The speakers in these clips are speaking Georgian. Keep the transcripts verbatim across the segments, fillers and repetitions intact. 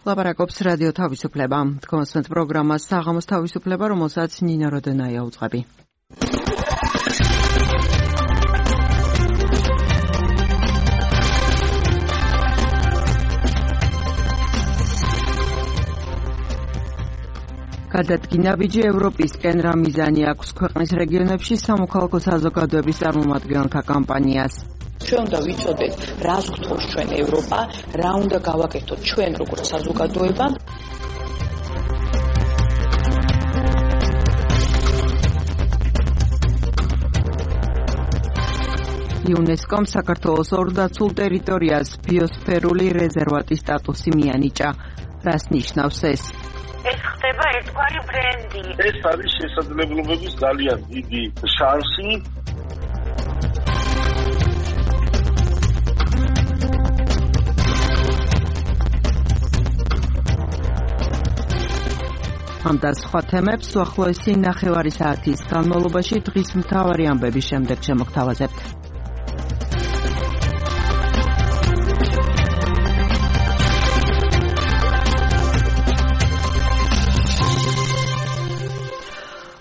ლაპარაკობს რადიო თავისუფლება. თქვენს პროგრამას საღამოს თავისუფლება, რომელსაც ნინო როდენაია უძღვები. გადადგინა ბიჯი ევროპისკენ რა მიზანი აქვს ქვეყნის რეგიონებში სამოქალაქო საზოგადოების წარმომადგენელთა კამპანიას. ჩვენ უნდა ვიცოდეთ, რას გთხოვს ჩვენ ევროპა, რა უნდა გავაკეთოთ ჩვენ როგორც საზოგადოება. იუნესკომ საქართველოს ორ დაცულ ტერიტორიას ბიოსფერული რეზერვატის სტატუსი მიანიჭა. რას ნიშნავს ეს? ეს ხდება ერთგვარი ბრენდი. ეს არის შესაძლებლობების ძალიან დიდი შანსი. ამ და სხვა თემებს უახლოესი ნახევარი საათის განმავლობაში დღის მთავარი ამბების შემდეგ შემოგთავაზებთ.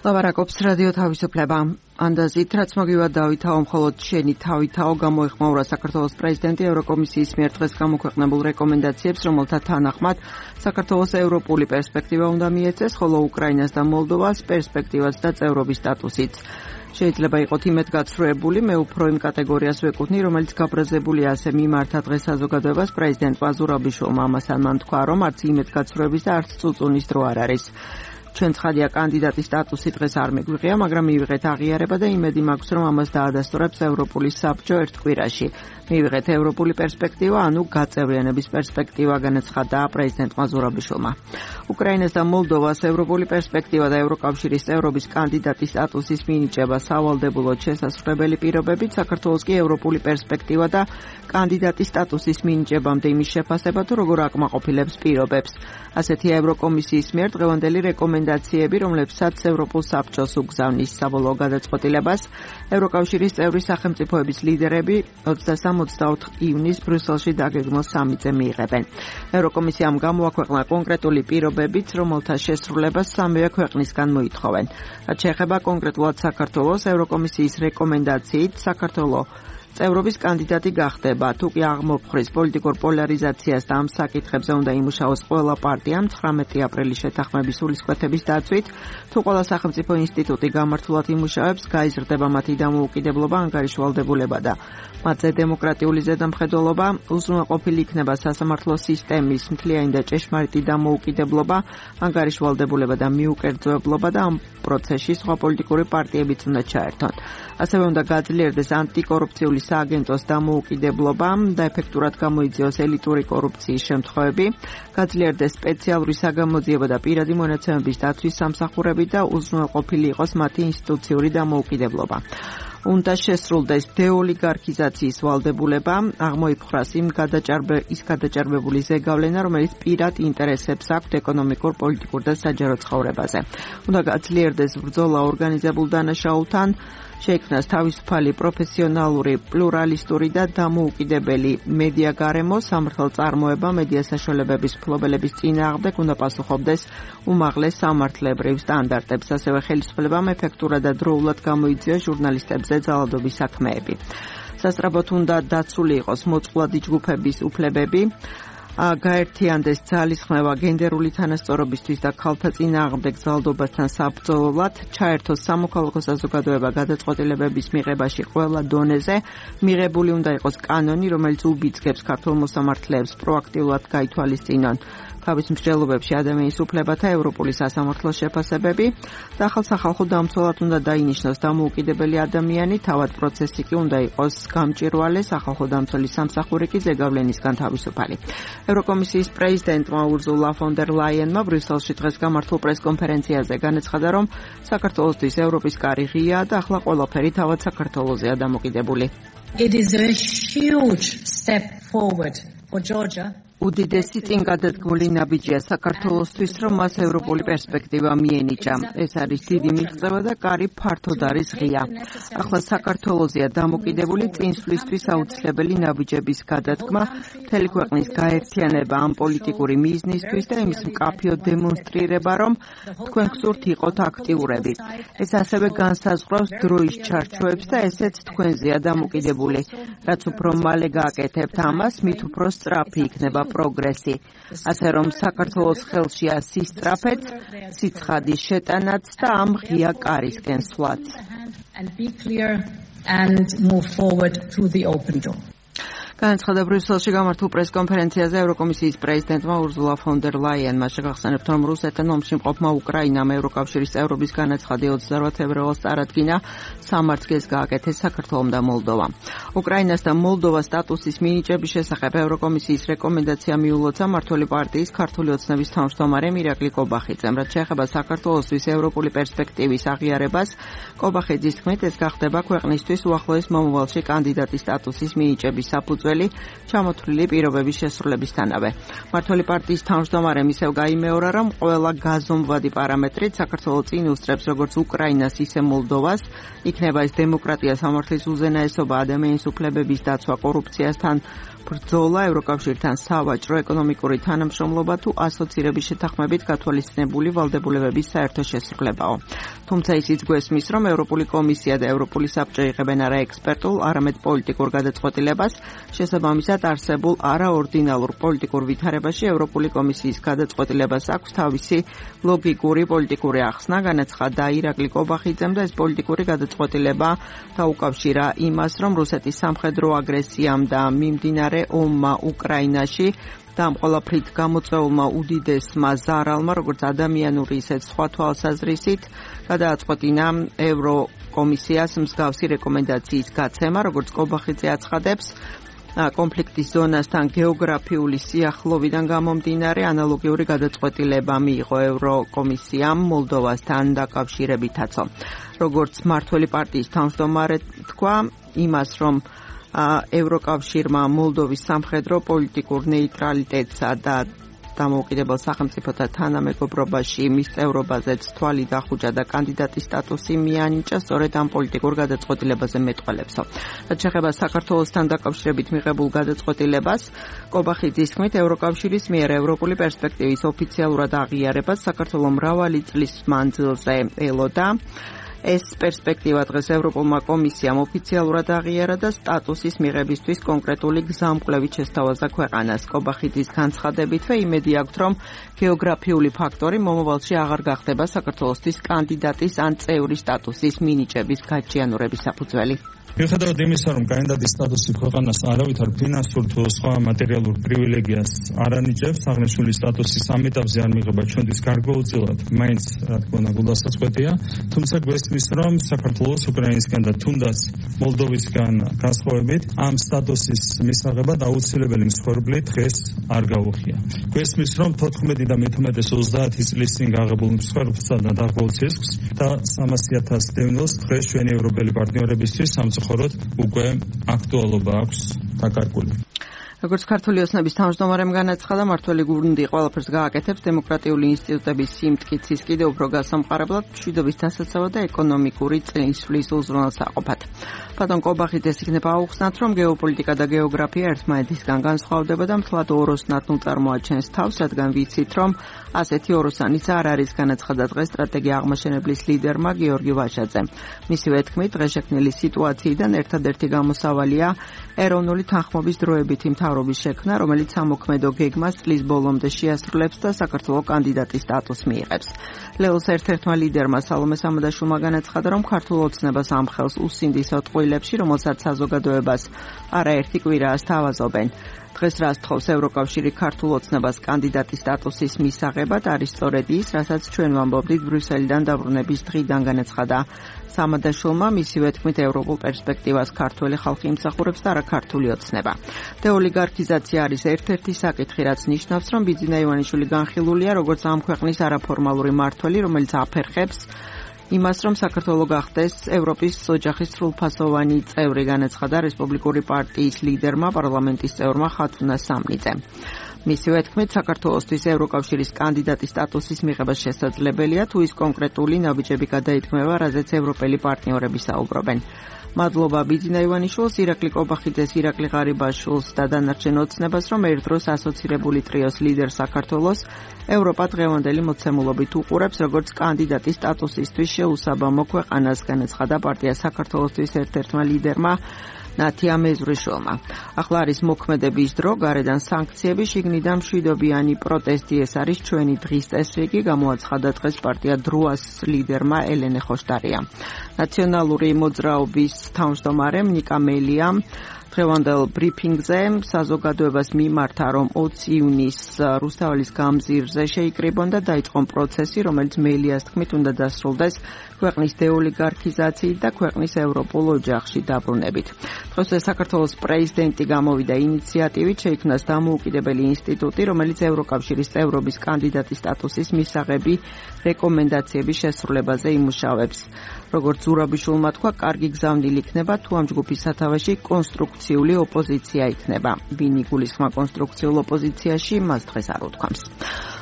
ლაპარაკობს რადიო თავისუფლება. ანდაზით, რაც მოგივა დავითაო, მხოლოდ შენი თავითაო გამოეხმაურა საქართველოს პრეზიდენტი ევროკომისიის მიერ დღეს გამოქვეყნებულ რეკომენდაციებს, რომელთა თანახმად საქართველოს ევროპული პერსპექტივა უნდა მიეცეს, ხოლო უკრაინას და მოლდოვას პერსპექტივაც და წევრობის სტატუსიც. შეიძლება იყოთ იმედგაცრუებული, მე უფრო იმ კატეგორიას ვეკუთვნი, რომელიც გაბრაზებულია ასე მიმართა დღეს საზოგადოებას პრეზიდენტმა ზურაბიშვილმა. ამასთან მან თქვა, რომ არც იმედგაცრუების და არც წუწუნის დრო არ არის. ჩვენ ცხადია კანდიდატის სტატუსი დღეს არ მეგვიღია, მაგრამ მივიღეთ აღიარება და იმედი მაქვს, რომ ამას დაადასტურებს ევროპული საბჭო ერთ კვირაში. მივიღეთ ევროპული პერსპექტივა, ანუ გაწევრიანების პერსპექტივა, განაცხადა პრეზიდენტმა ზურაბიშვილმა. უკრაინას და მოლდოვას ევროპული პერსპექტივა და ევროკავშირის წევრობის კანდიდატის სტატუსის მინიჭება სავალდებულოდ შესაძლებელი პირობებით, საქართველოს კი ევროპული პერსპექტივა და კანდიდატის სტატუსის მინიჭებამდე იმის შეფასება, თუ როგორ აკმაყოფილებს პირობებს. ასეთია ევროკომისიის მიერ დღევანდელი რეკომენდაციები, რომლებსაც ევროპულ საბჭოს უგზავნის საბოლოო გადაწყვეტილებას ევროკავშირის წევრი სახელმწიფოების ლიდერები ოცდასამ ოცდაოთხ ივნის ბრიუსელში დაგეგმოს სამიტზე მიიღებენ. ევროკომისიამ გამოაქვეყნა კონკრეტული პირობებიც, რომელთა შესრულებას სამივე ქვეყნისგან მოითხოვენ. რაც შეეხება კონკრეტულად საქართველოს, ევროკომისიის რეკომენდაციით საქართველო წევრობის კანდიდატი გახდება, თუ კი აღმოფხრის პოლიტიკურ პოლარიზაციას და ამ საკითხებზე უნდა იმუშაოს ყველა პარტიამ ცხრამეტი აპრილის შეთანხმების სულისკვეთების დაცვით, თუ ყველა სახელმწიფო ინსტიტუტი გამართულად იმუშავებს, გაიზრდება მათი დამოუკიდებლობა, ანგარიშვალდებულება და მათზე დემოკრატიული ზედამხედველობა, უზრუნველყოფილი იქნება სასამართლო სისტემის მთლიანი და ჭეშმარიტი დამოუკიდებლობა, ანგარიშვალდებულება და მიუკერძოებლობა და ამ პროცესში სხვა პოლიტიკური პარტიებიც უნდა ჩაერთონ. ასევე უნდა გაძლიერდეს ანტიკორუფციული სააგენტოს დამოუკიდებლობა და ეფექტურად გამოიძიოს ელიტური კორუფციის შემთხვევები, გაძლიერდეს სპეციალური საგამოძიებო და პირადი მონაცემების დაცვის სამსახურები და უზრუნველყოფილი იყოს მათი ინსტიტუციური დამოუკიდებლობა. უნდა შესრულდეს დეოლიგარქიზაციის ვალდებულება, აღმოიფხვრას იმ გადაჭარბე ის გადაჭარბებული ზეგავლენა, რომელიც პირად ინტერესებს აქვთ ეკონომიკურ, პოლიტიკურ და საჯარო ცხოვრებაზე. უნდა გაძლიერდეს ბრძოლა ორგანიზებულ დანაშაულთან, შეიქმნას თავისუფალი, პროფესიონალური, პლურალისტური და დამოუკიდებელი მედია გარემო, სამართალწარმოება, მედია საშუალებების მფლობელების წინააღმდეგ უნდა პასუხობდეს უმაღლეს სამართლებრივ სტანდარტებს, ასევე ხელისუფლებამ ეფექტურად და დროულად გამოიძიოს ჟურნალისტებზე ძალადობის საქმეები. სასწრაფოდ უნდა დაცული იყოს მოწყვლადი ჯგუფების უფლებები, გაერთიანდეს ძალისხმევა გენდერული თანასწორობისთვის და ქალთა წინააღმდეგ ძალადობასთან საბრძოლოდ, ჩაერთოს სამოქალაქო საზოგადოება გადაწყვეტილებების მიღებაში ყველა დონეზე, მიღებული უნდა იყოს კანონი, რომელიც უბიძგებს ქართულ მოსამართლეებს პროაქტიულად გაითვალისწინონ თავის მსჯელობებში ადამიანის უფლებათა ევროპული სასამართლოს შეფასებები და ახალ-სახალხო დამცველად უნდა დაინიშნოს დამოუკიდებელი ადამიანი, თავად პროცესი კი უნდა იყოს გამჭვირვალე, სახალხო დამცველის სამსახური კი ზეგავლენისგან თავისუფალი. ევროკომისიის პრეზიდენტმა ურზულა ფონ დერ ლაიენმა ბრიუსელში დღეს გამართულ პრესკონფერენციაზე განაცხადა, რომ საქართველოსთვის ევროპის კარი ღიაა და ახლა ყველაფერი თავად საქართველოზეა დამოკიდებული. It is a huge step forward for Georgia. უდიდესი წინგადადგმული ნაბიჯია საქართველოსთვის, რომ მას ევროპული პერსპექტივა მიენიჭა. ეს არის დიდი მიღწევა და კარი ფართოდ არის ღია. ახლა საქართველოსია დამოკიდებული წინსვლისთვის აუცილებელი ნაბიჯების გადადგმა, მთელი ქვეყნის გაერთიანება ამ პოლიტიკური მიზნისთვის და იმის მკაფიო დემონსტრირება, რომ თქვენ გსურთ იყოთ აქტიურები. ეს ასევე განსაზღვრავს დროის ჩარჩოებს და ესეც თქვენზეა დამოკიდებული. რაც უფრო მალე გააკეთებთ ამას, მით უფრო სწრაფი იქნება პროგრესი. ასე რომ საქართველოს ხელშია სისწრაფეც, სიცხადის შეტანაც და ამ ღია კარისკენ სვლაც. განაცხადა ბრიუსელში გამართულ პრესკონფერენციაზე ევროკომისიის პრეზიდენტმა ურზულა ფონ დერ ლაიენმა. შეგახსენებთ, რომ რუსეთთან ომში მყოფმა უკრაინამ ევროკავშირის წევრობის განაცხადი ოცდაოთხ თებერვალს წარადგინა, სამართლეს გააკეთეს საქართველომ და მოლდოვამ. უკრაინას და მოლდოვას სტატუსის მინიჭების შესახებ ევროკომისიის რეკომენდაცია მიულოცა მმართველი პარტიის ქართული ოცნების თავმჯდომარემ ირაკლი კობახიძემ. რაც შეეხება საქართველოსთვის ევროპული პერსპექტივის აღიარებას, კობახიძის თქმით, ეს გახდება ქვეყნისთვის უახლოეს მომავალში კანდიდატის სტატუსის მინიჭების საფუძველი ჩამოთვლილი პირობების შესრულებისთანავე. მმართველი პარტიის თავმჯდომარემ ისევ გაიმეორა, რომ ყველა გაზომვადი პარამეტრით საქართველოს წინ უსწრებს როგორც უკრაინას, ისე მოლდოვას, იქნება ეს დემოკრატია, სამართლის უზენაესობა, ადამიანის უფლებების დაცვა, კორუფციასთან ბრძოლა, ევროკავშირთან სავაჭრო ეკონომიკური თანამშრომლობა თუ ასოცირების შეთანხმებით გათვალისწინებული ვალდებულებების საერთო შესრულებაო. თუმცა ისიც გვესმის, რომ ევროპული კომისია და ევროპული საბჭო იღებენ არა ექსპერტულ, არამედ პოლიტიკურ გადაწყვეტილებას. შესაბამისად, არსებულ არაორდინალურ პოლიტიკურ ვითარებაში ევროპული კომისიის გადაწყვეტილებას აქვს თავისი ლოგიკური პოლიტიკური ახსნა, განაცხადა ირაკლი კობახიძემ და ეს პოლიტიკური გადაწყვეტილება დაუკავშირა იმას, რომ რუსეთის სამხედრო აგრესიამ და მიმდინარე ომმა უკრაინაში და ამ ყველაფრით გამოწვეულმა უდიდესმა ზარალმა, როგორც ადამიანური, ისე სხვა თვალსაზრისით, გადააწყვეტინა ევროკომისიას მსგავსი რეკომენდაციის გაცემა, როგორც კობახიძე აცხადებს, კონფლიქტის ზონასთან გეოგრაფიული სიახლოვიდან გამომდინარე ანალოგიური გადაწყვეტილება მიიღო ევროკომისიამ მოლდოვასთან დაკავშირებითაცო. როგორც მმართველი პარტიის თავმჯდომარე თქვა იმას, რომ ევროკავშირმა მოლდოვის სამხედრო პოლიტიკურ ნეიტრალიტეტსა და დამოუკიდებელ სახელმწიფოთა თანამეგობრობაში მის წევრობაზეც თვალი დახუჭა და კანდიდატის სტატუსი მიანიჭა სწორედ ამ პოლიტიკურ გადაწყვეტილებაზე მეტყველებსო. რაც შეეხება საქართველოსთან დაკავშირებით მიღებულ გადაწყვეტილებას, კობახიძის თქმით, ევროკავშირის მიერ ევროპული პერსპექტივის ოფიციალურად აღიარებას საქართველოს მრავალი წლის მანძილზე ელოდა. ეს პერსპექტივა დღეს ევროპულმა კომისიამ ოფიციალურად აღიარა და სტატუსის მიღებისთვის კონკრეტული გზამკვლევით შესთავაზა ქვეყანას. კობახიძის განცხადებითვე იმედი აქვთ, რომ გეოგრაფიული ფაქტორი მომავალში აღარ გახდება საქართველოსთვის კანდიდატის ან წევრის სტატუსის მინიჭების გაჩიანურების საფუძველი. მიუხედავად იმისა, რომ კანდიდატის სტატუსი ქვეყანას არავითარ ფინანსურ თუ სხვა მატერიალურ პრივილეგიას არ ანიჭებს, აღნიშნული სტატუსის ამ ეტაპზე არ მიღება ჩვენთვის გარკვეულწილად მაინც რა თქმა უნდა გულდასაწყვეტია, თუმცა გვესმის, რომ საქართველოს უკრაინისგან და თუნდაც მოლდოვისგან განსხვავებით ამ სტატუსის მისაღება აუცილებელი მსხვერპლი დღეს არ გაუხია. გვესმის, რომ თოთხმეტი და მეთორმეტე ოცდაათი წლის წინ გაღებულ მსხვერპლსა და დაღუპულ ცისკს და სამასი ათასი დევნილს დღეს ჩვენი ევროპელი პარტნიორებისთვის ხოროდ უკვე აქტუალობა აქვს დაკარგული. როგორც ქართული ოცნების თავმჯდომარემ განაცხადა, მმართველი გუნდი ყველაფერს გააკეთებს დემოკრატიული ინსტიტუტების სიმტკიცის კიდევ უფრო გასამყარებლად, მშვიდობის დასაცავად და ეკონომიკური წინსვლის უზრუნველსაყოფად. ბატონ კობახიძეს იქნება აუხსნათ, რომ გეოპოლიტიკა და გეოგრაფია ერთმანეთისგან განსხვავდება და მთლად ოროსნათნულ წარმოაჩენს თავს, რადგან ვიცით, რომ ასეთი ოროსანიც არ არის, განაცხადა დღეს სტრატეგია აღმაშენებლის ლიდერმა გიორგი ვაშაძემ. მისივე თქმით, დღეშექმნილი სიტუაციიდან ერთადერთი გამოსავალია ეროვნული თანხმობის დროებითი მთავრობის შექმნა, რომელიც სამოქმედო გეგმას წლის ბოლომდე შეასრულებს და საქართველოს კანდიდატის სტატუსს მიიღებს. ლეოს ერთ-ერთმა ლიდერმა სალომე სამადაშვილმა განაცხადა, რომ ქართულ ოცნებას ამ ხელს უსინდის ოტყუილებში, რომელსაც საზოგადოებას არაერთი კვირაა სთავაზობენ. დღეს რას თხოვს ევროკავშირი ქართულ ოცნებას კანდიდატის სტატუსის მისაღებად არის სწორედ ის, რასაც ჩვენ ვამბობდით ბრიუსელიდან დაბრუნების დღიდან, განაცხადა სამადაშვილმა. მისივე თქმით, ევროპულ პერსპექტივას ქართველი ხალხი იმსახურებს და არა ქართული ოცნება. დეოლიგარქიზაცია არის ერთ-ერთი საკითხი, რაც ნიშნავს, რომ ბიძინა ივანიშვილი განხილულია როგორც ამ ქვეყნის არაფორმალური მმართველი, რომელიც აფერხებს იმას, რომ საქართველოს გახდეს ევროპის ოჯახის სრულფასოვანი წევრი, განაცხადა რესპუბლიკური პარტიის ლიდერმა, პარლამენტის წევრმა ხათუნა სამნიძემ. მისივე თქმით, საქართველოსთვის ევროკავშირის კანდიდატის სტატუსის მიღება შესაძლებელია, თუ ის კონკრეტული ნაბიჯები გადაითქმება, რაზეც ევროპელი პარტნიორები საუბრობენ. მადლობა ბიძინა ივანიშვილს, ირაკლი კობახიძეს, ირაკლი ღარიბაშვილს და დანარჩენ ოცნებას, რომ ერთდროს ასოცირებული ტრიოს ლიდერ საქართველოს ევროპა დღევანდელი მოცემულობით უყურებს, როგორც კანდიდატის სტატუსისთვის შეუსაბამო ქვეყანას, განაცხადა პარტია საქართველოსთვის ერთ-ერთმა ლიდერმა ნათია მეზვრიშვილმა. ახლა არის მოქმედების დრო, გარედან სანქციები, შიგნიდან მშვიდობიანი პროტესტი, ეს არის ჩვენი დღის წესრიგი, გამოაცხადა დღეს პარტია დროას ლიდერმა ელენე ხოშტარია. ნაციონალური მოძრაობის თავმჯდომარე ნიკა მელიამ დღევანდელ ბრიფინგზე საზოგადოებას მიმართა, რომ ოცი ივნისს რუსთაველის გამზირზე შეიკრიბონ და დაიწყონ პროცესი, რომელიც მელიას თქმით უნდა დასრულდეს ქვეყნის დეოლიგარქიზაციით და ქვეყნის ევროპულ ოჯახში დაბრუნებით. დღეს საქართველოს პრეზიდენტი გამოვიდა ინიციატივით, შეიქმნას დამოუკიდებელი ინსტიტუტი, რომელიც ევროკავშირის წევრობის კანდიდატის სტატუსის მისაღები რეკომენდაციების შესრულებაზე იმუშავებს. როგორც ზურაბიშვილმა თქვა, კარგი გზავნილი იქნება, თუ ამ ჯგუფის სათავეში კონსტრუქციული ოპოზიცია იქნება. ვინ იგულისხმა კონსტრუქციულ ოპოზიციაში, მას დღეს არ უთქვამს.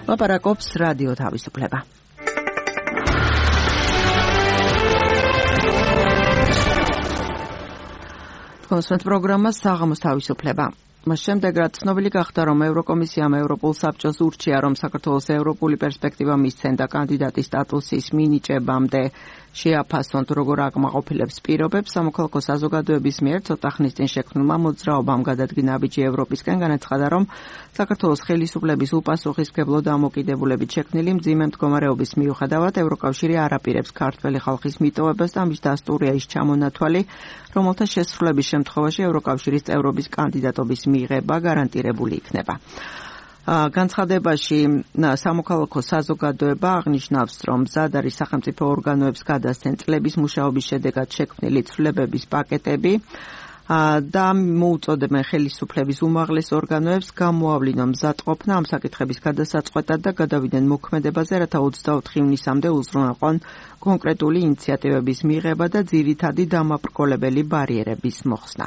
ლაპარაკობს რადიო თავისუფლება. კონსულტ პროგრამა საღამოს თავისუფლება. მას შემდეგ, რაც ცნობილი გახდა, რომ ევროკომისიამ ევროპულ საბჭოს ურჩია, რომ საქართველოს ევროპული პერსპექტივა მისცენ და კანდიდატის სტატუსის მინიჭებამდე შეაფასონ, როგორ აკმაყოფილებს პირობებს, სამოქალაქო საზოგადოების მიერ ცოტა ხნის წინ შექმნილმა მოძრაობამ გადადგინა ნაბიჯი ევროპისკენ, განაცხადა, რომ საქართველოს ხელისუფლების უპასუხისმგებლო დამოკიდებულებით შექმნილი მძიმე მდგომარეობის მიუხედავად ევროკავშირი არ აპირებს ქართველი ხალხის მიტოვებას და ამის დასტურია ის ჩამონათვალი, რომელთა შესრულების შემთხვევაში ევროკავშირის წევრობის კანდიდატობის მიღება გარანტირებული იქნება. განცხადებაში სამოქალაქო საზოგადოება აღნიშნავს, რომ მზად არის სახელმწიფო ორგანოებს გადასცენ წლების მუშაობის შედეგად შექმნილი ცვლილებების პაკეტები და მოუწოდებენ ხელისუფლების უმაღლეს ორგანოებს გამოავლინონ მზადყოფნა ამ საკითხების გადასაწყვეტად და გადავიდნენ მოქმედებაზე, რათა ოცდაოთხი ივნისამდე უზრუნველყონ კონკრეტული ინიციატივების მიღება და ძირითადი დამაბრკოლებელი ბარიერების მოხსნა.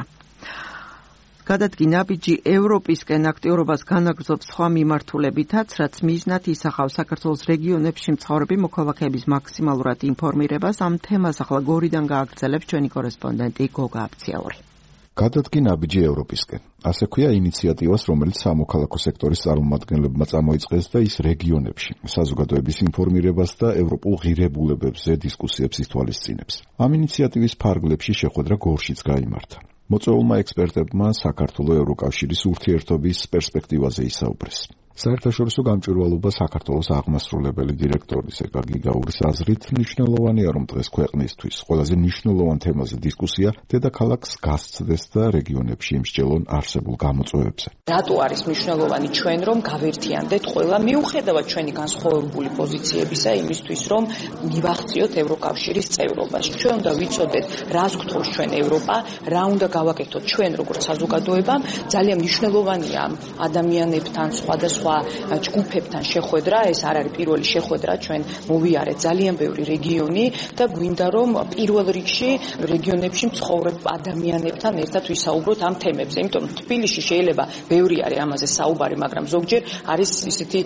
გადადგინა ნაბიჯი ევროპისკენ აქტიურობას განაგრძობს სხვა მიმართულებითაც, რაც მიზნად ისახავს საქართველოს რეგიონებში მცხოვრები მოქალაქეების მაქსიმალურად ინფორმირებას. ამ თემას ახლა გორიდან გააგრძელებს ჩვენი კორესპონდენტი გოგა აფციაური. გადადგინა ნაბიჯი ევროპისკენ. ასე ქვია ინიციატივას, რომელიც სამოქალაქო სექტორის წარმომადგენლებმა წამოიწყეს და ის რეგიონებში საზოგადოების ინფორმირებას და ევროპულ ღირებულებებზე დისკუსიებს ითვალისწინებს. ამ ინიციატივის ფარგლებში შეხვედრა გორშიც გაიმართა. მოწვეულმა ექსპერტებმა საქართველოს ევროკავშირის ურთიერთობის პერსპექტივაზე ისაუბრეს. საერთაშორისო გამჭვირვალობა საქართველოს აღმასრულებელი დირექტორის ეკა გიგაურის აზრით მნიშვნელოვანია, რომ დღეს ქვეყნისთვის ყველაზე მნიშვნელოვან თემაზე დისკუსია დედაქალაქს გასცდეს და რეგიონებში იმსჯელონ არსებულ გამოწვევებზე. რატო არის მნიშვნელოვანი ჩვენ რომ გავერთიანდეთ ყველა მიუხედავად ჩვენი განსხვავებული პოზიციებისა იმისთვის, რომ მივახციოთ ევროკავშირის წევრობას. ჩვენ უნდა ვიცოდეთ, რას გთხოვს ჩვენ ევროპა, რა უნდა გავაკეთოთ ჩვენ როგორც საზოგადოებამ. ძალიან მნიშვნელოვანია ადამიანებთან სხვადასხვა ჯგუფებთან შეხვედრა, ეს არ არის პირველი შეხვედრა, ჩვენ მოვიარეთ ძალიან ბევრი რეგიონი და გვინდა რომ პირველ რიგში რეგიონებში მცხოვრებ ადამიანებთან ერთად ვისაუბროთ ამ თემებზე. იმიტომ თბილისში შეიძლება ბევრი არის ამაზე საუბარი, მაგრამ ზოგჯერ არის ისეთი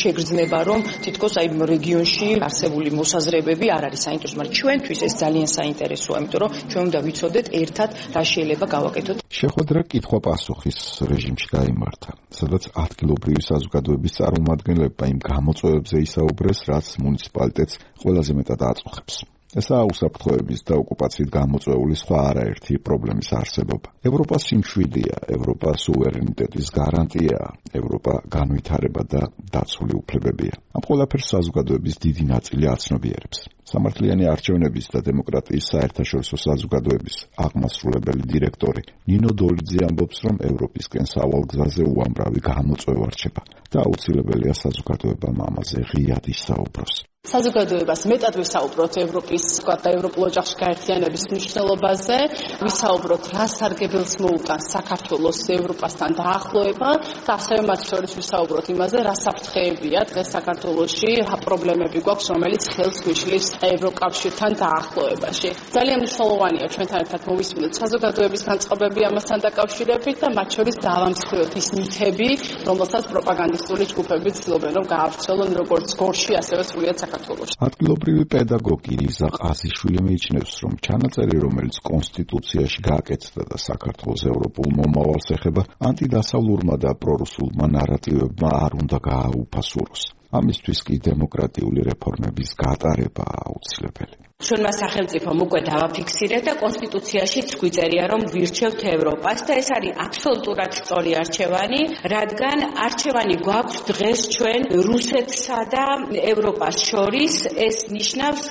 შეგრძნება, რომ თითქოს აი რეგიონში არსებული მოსაზრებები არ არის საინტერესო, მაგრამ ჩვენთვის ეს ძალიან საინტერესოა, იმიტომ რომ ჩვენ უნდა ვიცოდეთ ერთად რა შეიძლება გავაკეთოთ. შეხვედრა კითხვა-პასუხის რეჟიმში გაიმართა, სადაც ადგილობრივი საზოგადოების წარმომადგენლებმა იმ გამოწვევებზე ისაუბრეს, რაც მუნიციპალიტეტს ყველაზე მეტად აწუხებს. ესაა უსაფრთხოების და ოკუპაციით გამოწვეული სხვა არაერთი პრობლემის არსებობა. ევროპა სიმშვიდეა, ევროპა სუვერენიტეტის გარანტია, ევროპა განვითარება და დაცული უფლებებია. ამ ყველაფერს საზოგადოების დიდი ნაწილი აცნობიერებს. სამართლიანი არჩევნების და დემოკრატიის საერთაშორისო საზოგადოების აღმასრულებელი დირექტორი ნინო დოლიძე ამბობს, რომ ევროპისკენ სავალ გზაზე უამრავი გამოწვევა რჩება და აუცილებელია საზოგადოებამ ამაზე ღიად ისაუბროს. საზოგადოებას მეტად ვისაუბროთ ევროპის და ევროპულ ოჯახში გაერთიანების მნიშვნელობაზე, ვისაუბროთ რა სარგებელს მოუტანს საქართველოს ევროპასთან დაახლოება და ასევე მათ შორის ვისაუბროთ იმაზე, რა საფრთხეებია დღეს საქართველოში, რა პრობლემები გვაქვს, რომელიც ხელს გვიშლის ევროკავშირთან დაახლოებაში. ძალიან მნიშვნელოვანია ჩვენთან ერთად მოვისმინოთ საზოგადოების განწყობები ამასთან დაკავშირებით და მათ შორის დავამსხვრიოთ ის მითები, რომელსაც პროპაგანდისტული ჯგუფები ცდილობენ რომ გაავრცელონ როგორც გორში, ასევე სრულიად საქართველოში. ადგილობრივი პედაგოგი იზა ყაზიშვილი მიიჩნევს, რომ ჩანაწერი, რომელიც კონსტიტუციაში გააკეთდა და საქართველოს ევროპულ მომავალს ეხება, ანტიდასავლურმა და პრორუსულმა ნარატივებმა არ უნდა გააუფასუროს. ამისთვის კი დემოკრატიული რეფორმების გატარება აუცილებელი. ჩვენმა სახელმწიფომ უკვე დავაფიქსირეთ და კონსტიტუციაშიც გვიწერია, რომ ვირჩევთ ევროპას და ეს არის აბსოლუტურად სწორი არჩევანი, რადგან არჩევანი გვაქვს დღეს ჩვენ რუსეთსა და ევროპას შორის, ეს ნიშნავს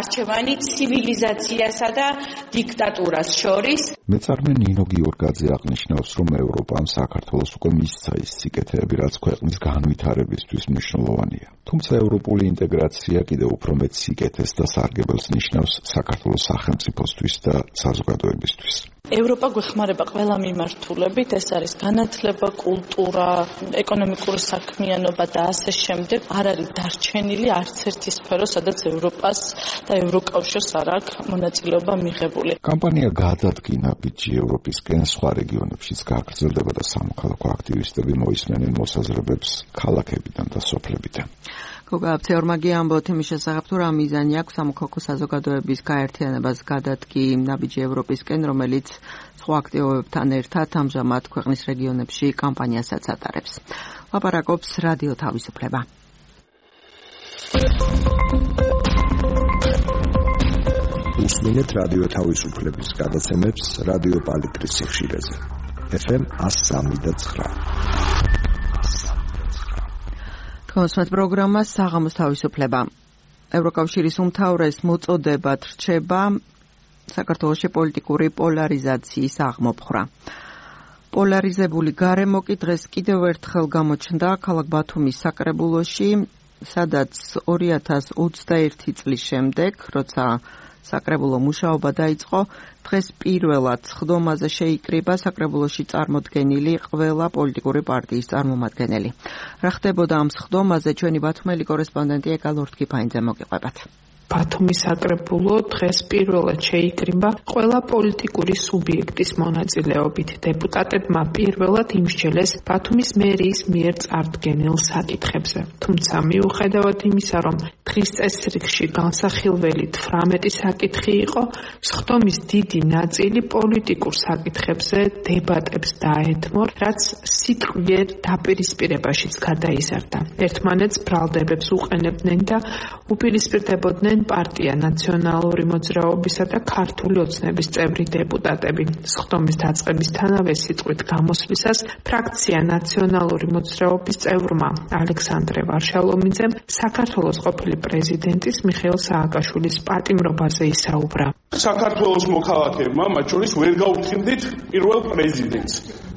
არჩევანი ცივილიზაციასა და დიქტატურას შორის. მეწარმე ნინო გიორგაძე აღნიშნავს, რომ ევროპამ საქართველოს უკვე მისცა ის სიკეთეები, რაც ქვეყნის განვითარებისთვის მნიშვნელოვანია. თუმცა ევროპული ინტეგრაცია კიდევ უფრო მეტ სიკეთეს და სარგებელს ნიშნავს საქართველოს სახელმწიფოსთვის და საზოგადოებისთვის. ევროპა გვეხმარება ყველა მიმართულებით, ეს არის განათლება, კულტურა, ეკონომიკური საქმიანობა და ასე შემდეგ. არ არის დარჩენილი არც ერთი სფერო, სადაც ევროპას და ევროკავშირს არ აქვს მონაწილეობა მიღებული. კამპანია გადადგინა ბიჯი ევროპისკენ სხვა რეგიონებშიც გაგრძელდება და სამოქალაქო აქტივისტები მოისმენენ მოსაზრებებს ქალაქებიდან და სოფლებიდან. გოგა აფცეორმაგია ამბობთ იმის შესახებ, თუ რა მიზანი აქვს სამოქალაქო საზოგადოების გაერთიანებას გადადგი ნაბიჯი ევროპისკენ, რომელიც სხვა აქტივობებთან ერთად ამჟამად ქვეყნის რეგიონებში კამპანიასაც ატარებს. ლაპარაკობს რადიო თავისუფლება. უსმინეთ რადიო თავისუფლების გადაცემებს რადიო პალიტრის სიხშირეზე. ეფ ემ one oh three point nine. კონსმეთ პროგრამა საღამოს თავისუფლება. ევროკავშირის უმთავრეს მოწოდებად რჩება საქართველოში პოლიტიკური პოლარიზაციის აღმოფხვრა. პოლარიზებული გარემო კი დღეს კიდევ ერთხელ გამოჩნდა ქალაქ ბათუმის საკრებულოში, სადაც ორი ათას ოცდაერთი წლის შემდეგ, როცა საკრებულო მუშაობა დაიწყო, დღეს პირველად სხდომაზე შეიკრიბა საკრებულოში წარმოდგენილი ყველა პოლიტიკური პარტიის წარმომადგენელი. რა ხდებოდა ამ სხდომაზე, ჩვენი ბათუმელი კორესპონდენტი ეკა ლორთქიფაინძე მოგიყვებათ. ბათუმის საკრებულო დღეს პირველად შეიკრიბა ყველა პოლიტიკური სუბიექტის მონაწილეობით. დეპუტატებმა პირველად იმსჯელეს ბათუმის მერიის მიერ წარდგენილ საკითხებზე. თუმცა მიუხედავად იმისა, რომ დღის წესრიგში განსახილველი თვრამეტი საკითხი იყო, სხდომის დიდი ნაწილი პოლიტიკურ საკითხებზე დებატებს დაეთმო, რაც სიტყვიერ დაპირისპირებაშიც გადაიზარდა. ერთმანეთს ბრალდებებს უყენებდნენ და უპირისპირდებოდნენ პარტია ნაციონალური მოძრაობისა და ქართული ოცნების წევრი დეპუტატები. სხდომის დაწყებისთანავე სიტყვით გამოსვლისას ფრაქცია ნაციონალური მოძრაობის წევრმა ალექსანდრე ვარშალომიძემ საქართველოს ყოფილი პრეზიდენტის მიხეილ სააკაშვილის პატიმრობაზე ისაუბრა. საქართველოს მოქალაქეებმა მათ შორის ვერ გაუფრთხილდით პირველ პრეზიდენტს.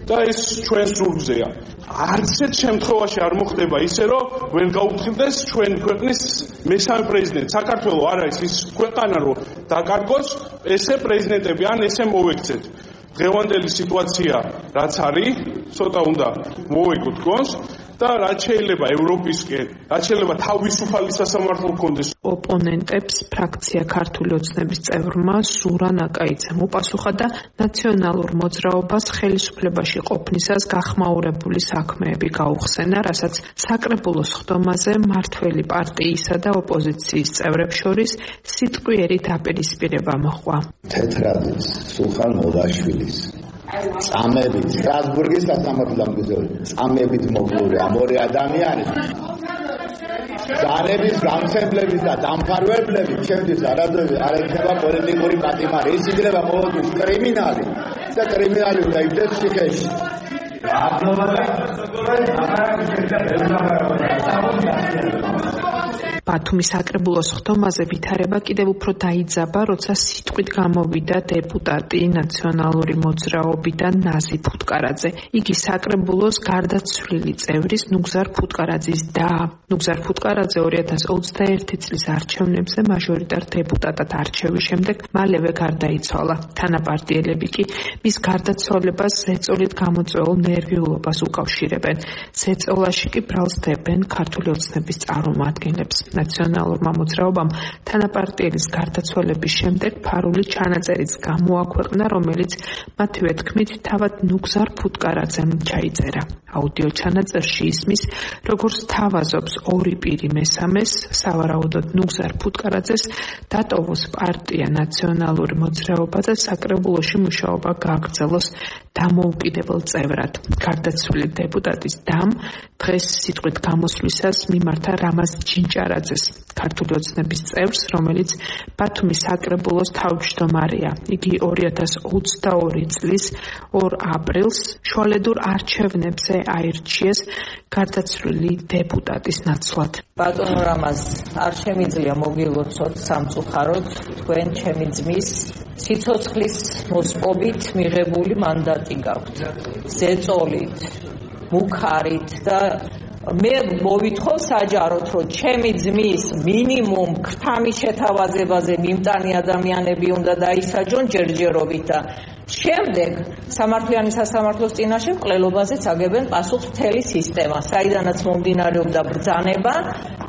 და ეს ჩვენ სურგზეა. არც ერთ შემთხვევაში არ მოხდება ისე, რომ ვერ გაუფრთხილდეს ჩვენ ქვეყნის მესამე პრეზიდენტი. საქართველო არ არის ის ქვეყანა, რომ დაკარგოს ესე პრეზიდენტები, ან ესე მოვექცეთ. დღევანდელი სიტუაცია რაც არის, ცოტა უნდა მოვეკოთ გონს და რაც შეიძლება ევროპისკენ, რაც შეიძლება თავისუფალი სასამართლო გქონდეს. ოპონენტებს ფრაქცია ქართული ოცნების წევრმა სურა ნაკაიძემ უპასუხა და ნაციონალურ მოძრაობას ხელისუფლებაში ყოფნისას გახმაურებული საქმეები გაუხსენა, რასაც საკრებულოს სხდომაზე მართველი პარტიისა და ოპოზიციის წევრებს შორის სიტყვიერი დაპირისპირება მოჰყვა. თეთრადის სულხან მოდაშვილის წამებით სტრასბურგის სასამართლო წამებით მოკლული ამ ორი ადამიანი ძალების გამხებლების და დამფარველების ჩემთვის არადროულად არ ეხება პოლიტიკური პატიმარი. ის იქნება ყოველთვის კრიმინალი და კრიმინალი უნდა იბრძეს ციხეში. ბათუმის საკრებულოს ხდომაზე ვითარება კიდევ უფრო დაიძაბა, როცა სიტყვით გამოვიდა დეპუტატი ნაციონალური მოძრაობიდან ნაზი ფუტკარაძე. იგი საკრებულოს გარდაცვლილი წევრის ნუგზარ ფუტკარაძის და ნუგზარ ფუტკარაძე ორი ათას ოცდაერთი წლის არჩევნებზე მაჟორიტარ დეპუტატად არჩევის შემდეგ მალევე გარდაიცვალა. თანაპარტიელები კი მის გარდაცვალებას ზეწოლით გამოწვეულ ნერვიულობას უკავშირებენ. ზეწოლაში კი ბრალს დებენ ქართული ოცნების წარმომადგენლებს. ნაციონალურმა მოძრაობამ თანაპარტიელის გარდაცვალების შემდეგ ფარული ჩანაწერიც გამოაქვეყნა, რომელიც მათივე თქმით თავად ნუგზარ ფუტკარაძემ ჩაიწერა. აუდიო ჩანაწერში ისმის, როგორც თავაზობს ორი პირი მესამეს, სავარაუდოდ ნუგზარ ფუტკარაძეს დატოვოს პარტია ნაციონალური მოძრაობა და საკრებულოში მუშაობა გააგრძელოს დამოუკიდებელ წევრად. გარდაცვლილი დეპუტატის დამ დღეს სიტყვით გამოსვლისას მიმართა რამაზ ჯინჭარაძეს, ქართული ოცნების წევრს, რომელიც ბათუმის საკრებულოს თავმჯდომარეა. იგი ორი ათას ოცდაორი წლის ორ აპრილს შუალედურ არჩევნებზე აირჩიეს გარდაცვლილი დეპუტატის ნაცვლად. ბატონო რამაზ, არ შემიძლია მოგილოცოთ სამწუხაროდ თქვენ ჩემი ძმის სიცოცხლის მოსპობით მიღებული მანდატი გაქვთ. ზეწოლით, მუქარით და მე მოვითხოვ საჯაროდ, რომ ჩემი ძმის მინიმუმ ქრთამის შეთავაზებაზე მიმტანი ადამიანები უნდა დაისაჯონ ჯერჯერობით და შემდეგ სამართლიანი სასამართლოს წინაშე მკვლელობაზეც აგებენ პასუხს მთელი სისტემა, საიდანაც მომდინარეობდა ბრძანება,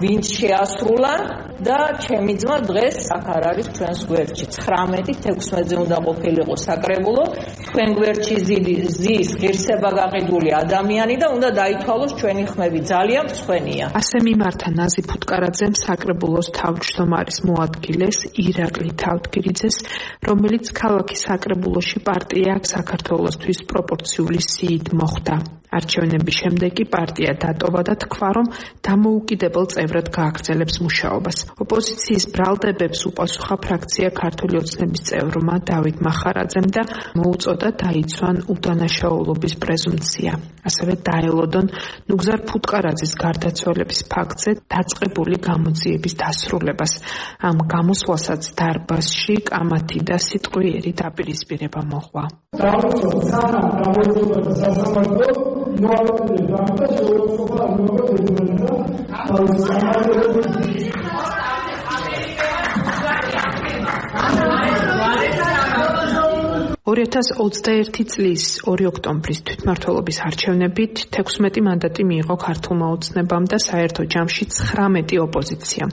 ვინც შეასრულა და ჩემი ძმა დღეს აქ არ არის ჩვენს გვერდში. ცხრამეტი თექვსმეტზე უნდა ყოფილიყო საკრებულო, თქვენ გვერდში ზის ღირსება გაყიდული ადამიანი და უნდა დაითვალოს ჩვენი ხმები, ძალიან მსხვენია. ასე მიმართა ნაზი ფუტკარაძემ საკრებულოს თავმჯდომარის მოადგილეს ირაკლი თავდგირიძეს, რომელიც ქალაქის საკრებულოში პარტია საქართველოსთვის პროპორციული სიით მოხვდა. არჩევნების შემდეგ კი პარტია დატოვა და თქვა, რომ დამოუკიდებელ წევრად გააგრძელებს მუშაობას. ოპოზიციის ბრალდებებს უპასუხა ფრაქცია ქართული ოცნების წევრმა დავით მახარაძემ და მოუწოდა დაიცვან უდანაშაულობის პრეზუმპცია. ასევე დაელოდონ ნუგზარ ფუტკარაძის გარდაცვალების ფაქტზე დაწყებული გამოძიების დასრულებას. ამ გამოსვლასაც დარბაზში კამათი და სიტყვიერი დაპირისპირება მოჰყვა. ორი ათას ოცდაერთი წლის ორი ოქტომბრის თვითმმართველობის არჩევნებით თექვსმეტი მანდატი მიიღო ქართულმა ოცნებამ და საერთო ჯამში ცხრამეტი ოპოზიციამ,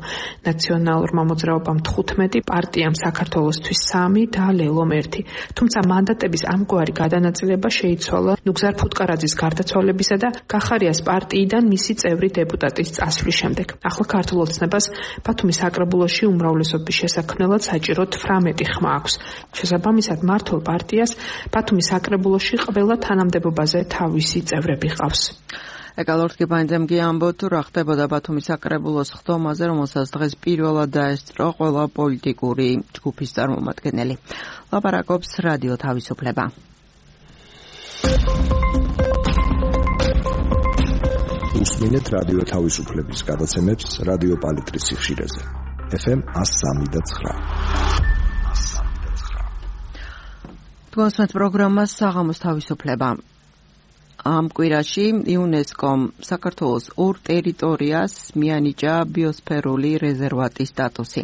ნაციონალურმა მოძრაობამ თხუთმეტი, პარტიამ საქართველოსთვის სამი და ლელომ ერთი. თუმცა მანდატების ამგვარი გადანაწილება შეიცვალა ნუგზარ ფუტკარაძის გარდაცვალებისა და კახარიას პარტიიდან მისი წევრი დეპუტატის წასვლის შემდეგ. ახლა ქართულ ოცნებას ბათუმის საკრებულოში უმრავლესობის შესაქმნელად საჭირო თვრამეტი ხმა აქვს. შესაბამისად მართულ პარტიას ბათუმის საკრებულოში ყველა თანამდებობაზე თავისი წევრები ყავს. ეკალორთგებანძემ კი ამბობ, თუ რა ხდებოდა ბათუმის საკრებულოს ხდომაზე, რომელსაც დღეს პირველად დაესწრო ყველა პოლიტიკური ჯგუფის წარმომადგენელი. ლაპარაკობს რადიო თავისუფლება. უსმინეთ რადიო თავისუფლების გადაცემებს რადიო პალიტრის სიხშირეზე. ეფ ემ one oh three point nine. თქვენს პროგრამას საღამოს თავისუფლება. ამ კვირაში იუნესკომ საქართველოს ორ ტერიტორიას მიანიჭა ბიოსფერული რეზერვატის სტატუსი.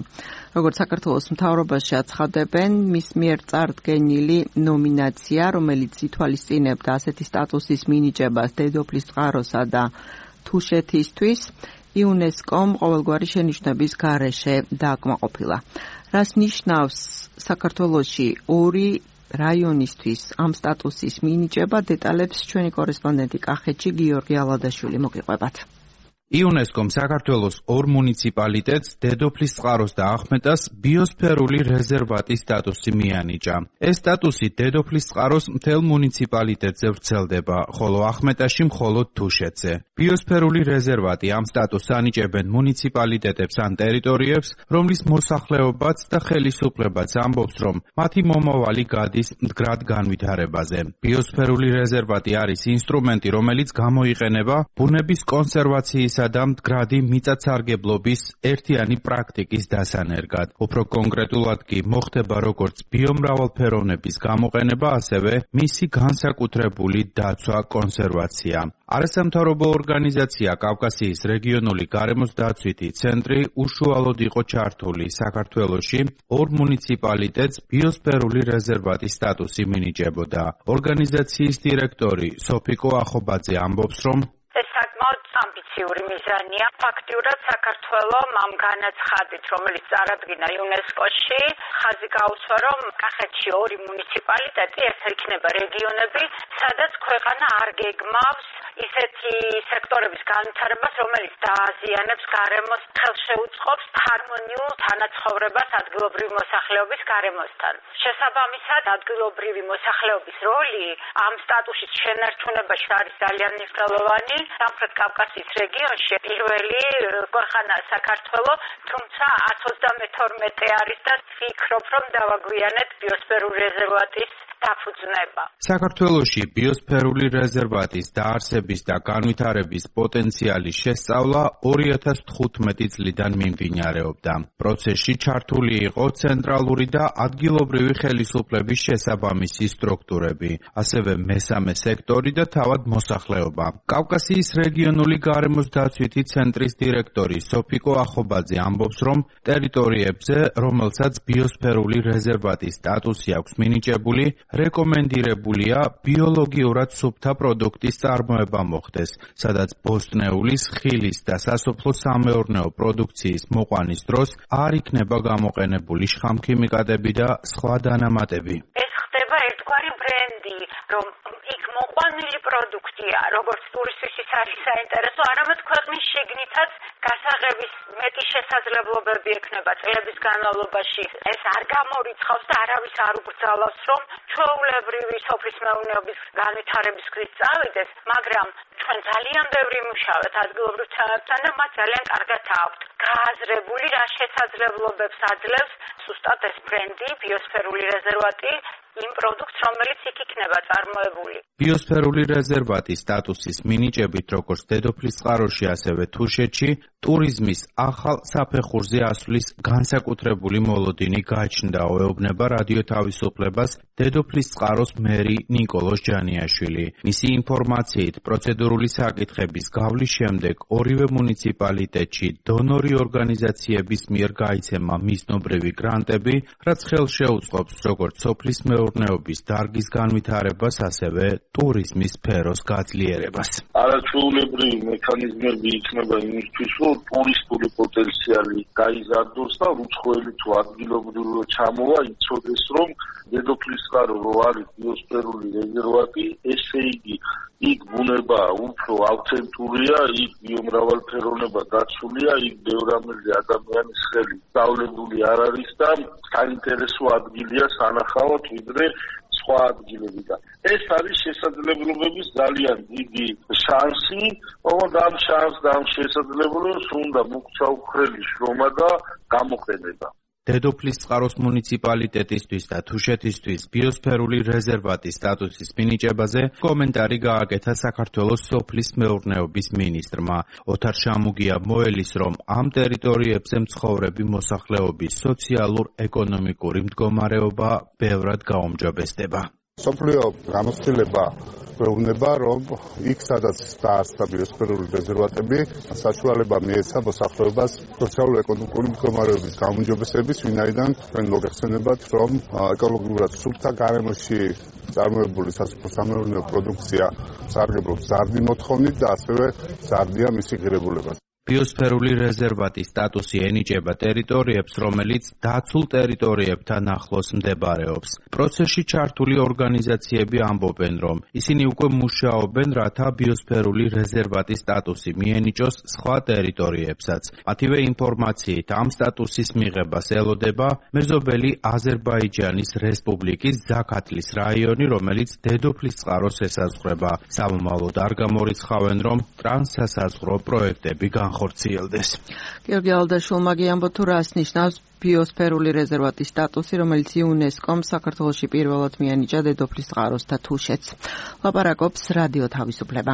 როგორც საქართველოს მთავრობაში აცხადებენ, მის მიერ წარდგენილი ნომინაცია, რომელიც ითვალისწინებდა ასეთი სტატუსის მინიჭებას დედოფლის წყაროსა და თუშეთისთვის, იუნესკომ ყოველგვარი შენიშვნების გარეშე დააკმაყოფილა. რას ნიშნავს საქართველოში ორი რაიონისთვის ამ სტატუსის მინიჭება, დეტალებს ჩვენი კორესპონდენტი კახეთში გიორგი ალადაშვილი მოგიყვებათ. იუნესკომ საქართველოს ორ მუნიციპალიტეტს დედოფლის წყაროს და ახმეტას ბიოსფერული რეზერვატის სტატუსი მიანიჭა. ეს სტატუსი დედოფლის წყაროს მთელ მუნიციპალიტეტზე ვრცელდება, ხოლო ახმეტაში მხოლოდ თუშეთზე. ბიოსფერული რეზერვატი ამ სტატუსს ანიჭებენ მუნიციპალიტეტებს ან ტერიტორიებს, რომლის მოსახლეობაც და ხელისუფლებაც ამბობს, რომ მათი მომავალი გადის მდგრად განვითარებაზე. ბიოსფერული რეზერვატი არის ინსტრუმენტი, რომელიც გამოიყენება ბუნების კონსერვაციის სპორტისა და მდგრადი მიწათსარგებლობის ერთიანი პრაქტიკის დასანერგად. უფრო კონკრეტულად კი მოხდება როგორც ბიომრავალფეროვნების გამოყენება, ასევე მისი განსაკუთრებული დაცვა, კონსერვაცია. არასამთავრობო ორგანიზაცია კავკასიის რეგიონული გარემოს დაცვითი ცენტრი უშუალოდ იყო ჩართული საქართველოში ორ მუნიციპალიტეტს ბიოსფერული რეზერვატის სტატუსი მინიჭებოდა. ორგანიზაციის დირექტორი სოფიკო ახობაძე ამბობს, რომ ეს საკმაოდ ამბიციური მიზანია. ფაქტიურად საქართველოს ამ განაცხადით, რომელიც წარადგინა იუნესკოში, ხაზი გაუსვა, რომ კახეთში ორი მუნიციპალიტეტი, ეს იქნება რეგიონები, სადაც ქვეყანა არ გეგმავს ისეთი სექტორების განვითარებას, რომელიც დააზიანებს გარემოს, ხელშეუწყობს ჰარმონიულ თანაცხოვრებას ადგილობრივი მოსახლეობის გარემოსთან. შესაბამისად, ადგილობრივი მოსახლეობის როლი ამ სტატუსის შენარჩუნებაში არის ძალიან მნიშვნელოვანი. სამხრეთ კავკასიის რეგიონში პირველი ქვეყანა საქართველოს, თუმცა εκατს ოცდამეთორმეტე არის და ვფიქრობ, რომ დავაგვიანეთ ბიოსფერული რეზერვატის დაფუძნება. საქართველოში ბიოსფერული რეზერვატის დაარსების და განვითარების პოტენციალის შესწავლა ორი ათას თხუთმეტი წლიდან მიმდინარეობდა. პროცესში ჩართული იყო ცენტრალური და ადგილობრივი ხელისუფლების შესაბამისი სტრუქტურები, ასევე მესამე სექტორი და თავად მოსახლეობა. კავკასიის რეგიონული გარემოს დაცვითი ცენტრის დირექტორი სოფიკო ახობაძე ამბობს, რომ ტერიტორიებზე, რომელსაც ბიოსფერული რეზერვატის სტატუსი აქვს მინიჭებული, რეკომენდირებულია ბიოლოგიურად სუფთა პროდუქტის წარმოება მოხდეს, სადაც ბოსტნეულის, ხილის და სასოფლო-სამეურნეო პროდუქციის მოყვანის დროს არ იქნება გამოყენებული შხამქიმიკატები და სხვა დანამატები. ეს ხდება ერთგვარი ბრენდი, რომ იქ მოყვანილი პროდუქტია, როგორც ტურისტისთვის არის საინტერესო, არამედ ქვეყნის შიგნითაც გასაღების მეტი შესაძლებლობები ექნება წლების განმავლობაში. ეს არ გამორიცხავს და არავის არ უბრძალავს, რომ ჩვეულებრივი სოფლის მეურნეობის განვითარების გზით წავიდეს, მაგრამ ჩვენ ძალიან ბევრი მუშაობთ ადგილობრივ ცენებთან და მათ ძალიან კარგად აქვთ გააზრებული, რა შესაძლებლობებს აძლევს ზუსტად ეს ბრენდი, ბიოსფერული რეზერვატი, იმ პროდუქტს, რომელიც იქ იქნება წარმოებული. ბიოსფერული რეზერვატის სტატუსის მინიჭებით, როგორც დედოფლის წყაროში, ასევე თუშეთში, ტურიზმის ახალ საფეხურზე ასვლის განსაკუთრებული მოლოდინი გაჩნდა, ეუბნება რადიო თავისუფლებას დედოფლის წყაროს მერი ნიკოლოზ ჯანიაშვილი. მისი ინფორმაციით, პროცედურული საკითხების გავლის შემდეგ ორივე მუნიციპალიტეტში დონორი ორგანიზაციების მიერ გაიცემა მიზნობრივი გრანტები, რაც ხელშეუწყობს როგორც სოფლის მეურნეობის დარგის განვითარებას, ასევე ტურიზმის სფეროს გაძლიერებას. არაჩვეულებრივი მექანიზმები იქნება იმისთვის, რომ ტურისტული პოტენციალი გაიზარდოს და უცხოელი თუ ადგილობრივი ჩამოვა, იცოდეს, რომ დედოფლის წყარო რო არის ბიოსფერული რეზერვატი, ესე იგი იქ ბუნება უფრო ავთენტურია, იქ ბიომრავალფეროვნება დაცულია, იქ ბევრამეზე ადამიანის ხელი დავლებული არ არის და საინტერესო ადგილია სანახავად ვიდრე სხვა ადგილები და ეს არის შესაძლებლობების ძალიან დიდი შანსი, ოღონდ ამ შანსს და ამ შესაძლებლობას უნდა მოგცა უხრელი შრომა და გამოყენება. დედოფლის წყაროს მუნიციპალიტეტისთვის და თუშეთისთვის ბიოსფერული რეზერვატის სტატუსის მინიჭებაზე კომენტარი გააკეთა საქართველოს სოფლის მეურნეობის მინისტრმა. ოთარ შამუგია მოელის, რომ ამ ტერიტორიებზე მცხოვრები მოსახლეობის სოციალურ-ეკონომიკური მდგომარეობა ბევრად გაუმჯობესდება. სოფლიო გამოცდილება გვეუბნება, რომ იქ სადაც დაარსდა ბიოსფერული რეზერვატები, საშუალება მიეცა მოსახლეობას სოციალურ-ეკონომიკური მდგომარეობის გაუმჯობესების, ვინაიდან თქვენ მოგეხსენებათ, რომ ეკოლოგიურად სუფთა გარემოში წარმოებული სასოფლო-სამეურნეო პროდუქცია სარგებლობს ზარდი მოთხოვნით და ასევე ზარდია მისი ღირებულება. ბიოსფერული რეზერვატის სტატუსი ენიჭება ტერიტორიებს, რომელიც დაცულ ტერიტორიებთან ახლოს მდებარეობს. პროცესში ჩართული ორგანიზაციები ამბობენ, რომ ისინი უკვე მუშაობენ, რათა ბიოსფერული რეზერვატის სტატუსი მიენიჭოს სხვა ტერიტორიებსაც. მათივე ინფორმაციით, ამ სტატუსის მიღებას ელოდება მეზობელი აზერბაიჯანის რესპუბლიკის ზაქათლის რაიონი, რომელიც დედოფლის წყაროს ესაზღვრება. სამომავლოდ არ გამორიცხავენ, რომ ტრანსსასაზღვრო პროექტები განხორციელდეს. გიორგი ალდაშვილმა გიამბო, თუ რას ნიშნავს ბიოსფერული რეზერვატის სტატუსი, რომელიც იუნესკომ საქართველოში პირველად მიანიჭა დედოფლის წყაროს და თუშეთს. ლაპარაკობს რადიო თავისუფლება.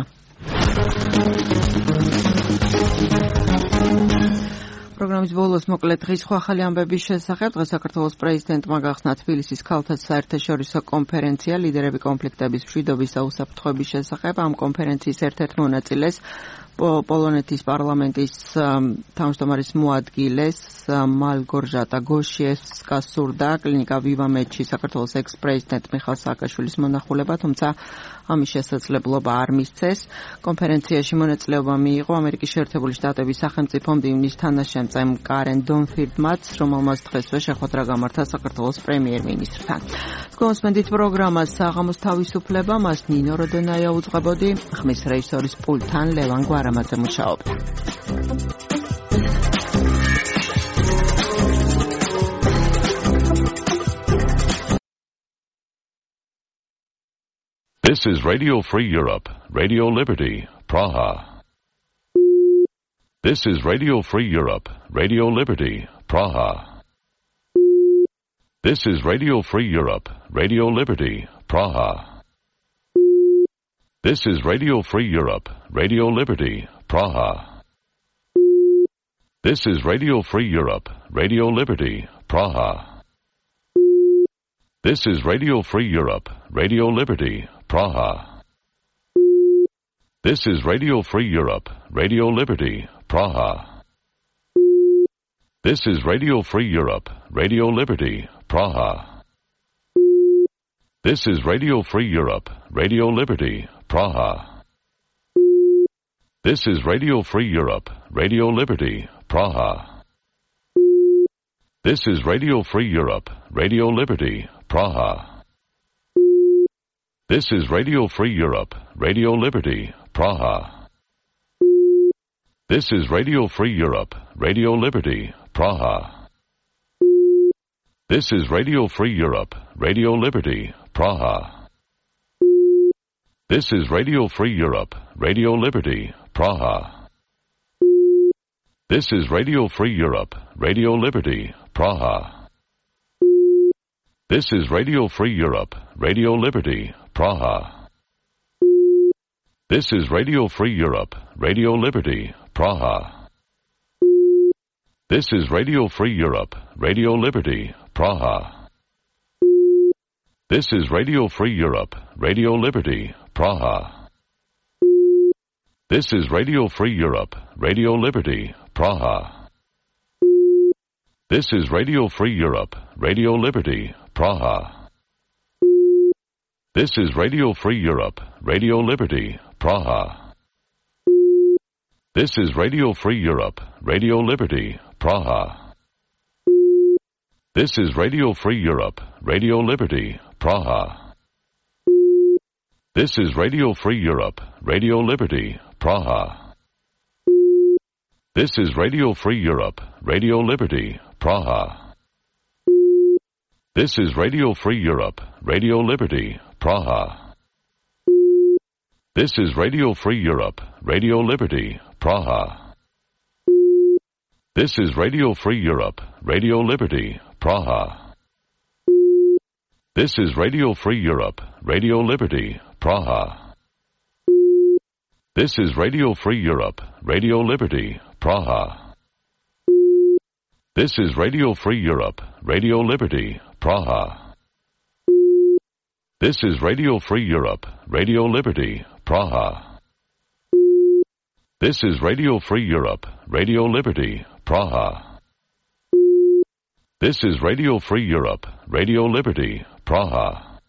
პროგრამის ბოლოს მოკლედ დღის სხვა ახალი ამბების შესახებ. დღეს საქართველოს პრეზიდენტმა გახსნა თბილისის ქალთა საერთაშორისო კონფერენცია ლიდერები კონფლიქტების მშვიდობის და უსაფრთხოების შესახებ. ამ კონფერენციის ერთ-ერთ მონაწილეს პოლონეთის პარლამენტის თავმჯდომარის მოადგილეს მალგორჟატა გოშიევსკას სურდა კლინიკა ვივამედში საქართველოს ექს-პრეზიდენტ მიხაილ სააკაშვილის მონახულება, თუმცა ამის შესაძლებლობა არ მისცეს. კონფერენციაში მონაწილეობა მიიღო ამერიკის შეერთებული შტატების სახელმწიფო მდივნის თანაშემწემ კარენ დონფილდმაც, რომელმაც დღესვე შეხვედრა გამართა საქართველოს პრემიერ-მინისტრთან. გონსმენდით პროგრამას საღამოს თავისუფლება, მას ნინო როდონაია უძღვებოდი, ხმის რეჟისორის პულტთან ლევან გვარამაძე მუშაობდა. This is Radio Free Europe, Radio Liberty, Praha. This is Radio Free Europe, Radio Liberty, Praha. This is Radio Free Europe, Radio Liberty, Praha. This is Radio Free Europe, Radio Liberty, Praha. This is Radio Free Europe, Radio Liberty, Praha. This is Radio Free Europe, Radio Liberty, Praha. This is Radio Free Europe, Radio Liberty, Praha. This is Radio Free Europe, Radio Liberty, Praha. This is Radio Free Europe, Radio Liberty, Praha. This is Radio Free Europe, Radio Liberty, Praha. This is Radio Free Europe, Radio Liberty, Praha. This is Radio Free Europe, Radio Liberty, Praha. This is Radio Free Europe, Radio Liberty, Praha. This is Radio Free Europe, Radio Liberty, Praha. This is Radio Free Europe, Radio Liberty, Praha. This is Radio Free Europe, Radio Liberty, Praha. This is Radio Free Europe, Radio Liberty, Praha. This is Radio Free Europe, Radio Liberty, Praha. This is Radio Free Europe, Radio Liberty, Praha. This is Radio Free Europe, Radio Liberty, Praha. This is Radio Free Europe, Radio Liberty, Praha. This is Radio Free Europe, Radio Liberty, Praha. This is Radio Free Europe, Radio Liberty, Praha. This is Radio Free Europe, Radio Liberty, Praha. This is Radio Free Europe, Radio Liberty, Praha. This is Radio Free Europe, Radio Liberty, Praha. This is Radio Free Europe, Radio Liberty, Praha. This is Radio Free Europe, Radio Liberty, Praha. This is Radio Free Europe, Radio Liberty, Praha. This is Radio Free Europe, Radio Liberty, Praha. This is Radio Free Europe, Radio Liberty, Praha. This is Radio Free Europe, Radio Liberty, Praha. This is Radio Free Europe, Radio Liberty, Praha. This is Radio Free Europe, Radio Liberty, Praha. This is Radio Free Europe, Radio Liberty, Praha. This is Radio Free Europe, Radio Liberty, Praha.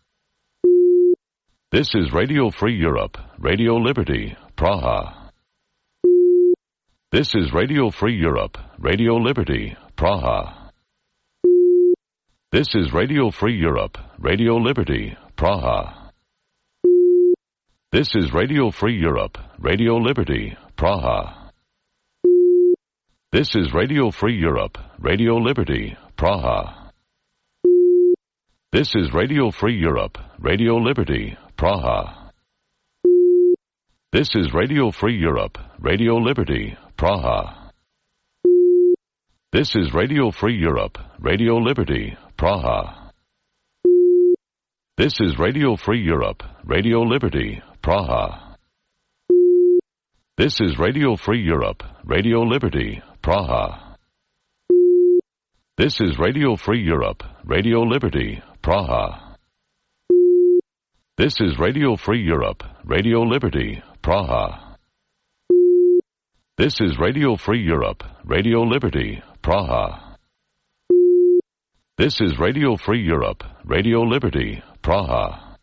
This is Radio Free Europe, Radio Liberty, Praha. This is Radio Free Europe, Radio Liberty, Praha. This is Radio Free Europe, Radio Liberty, Praha. This is Radio Free Europe, Radio Liberty, Praha. This is Radio Free Europe, Radio Liberty, Praha. This is Radio Free Europe, Radio Liberty, Praha. This is Radio Free Europe, Radio Liberty, Praha. This is Radio Free Europe, Radio Liberty, Praha. This is Radio Free Europe, Radio Liberty, Praha. This is Radio Free Europe, Radio Liberty, Praha. This is Radio Free Europe, Radio Liberty, Praha. This is Radio Free Europe, Radio Liberty, Praha. This is Radio Free Europe, Radio Liberty, Praha. This is Radio Free Europe, Radio Liberty, Praha.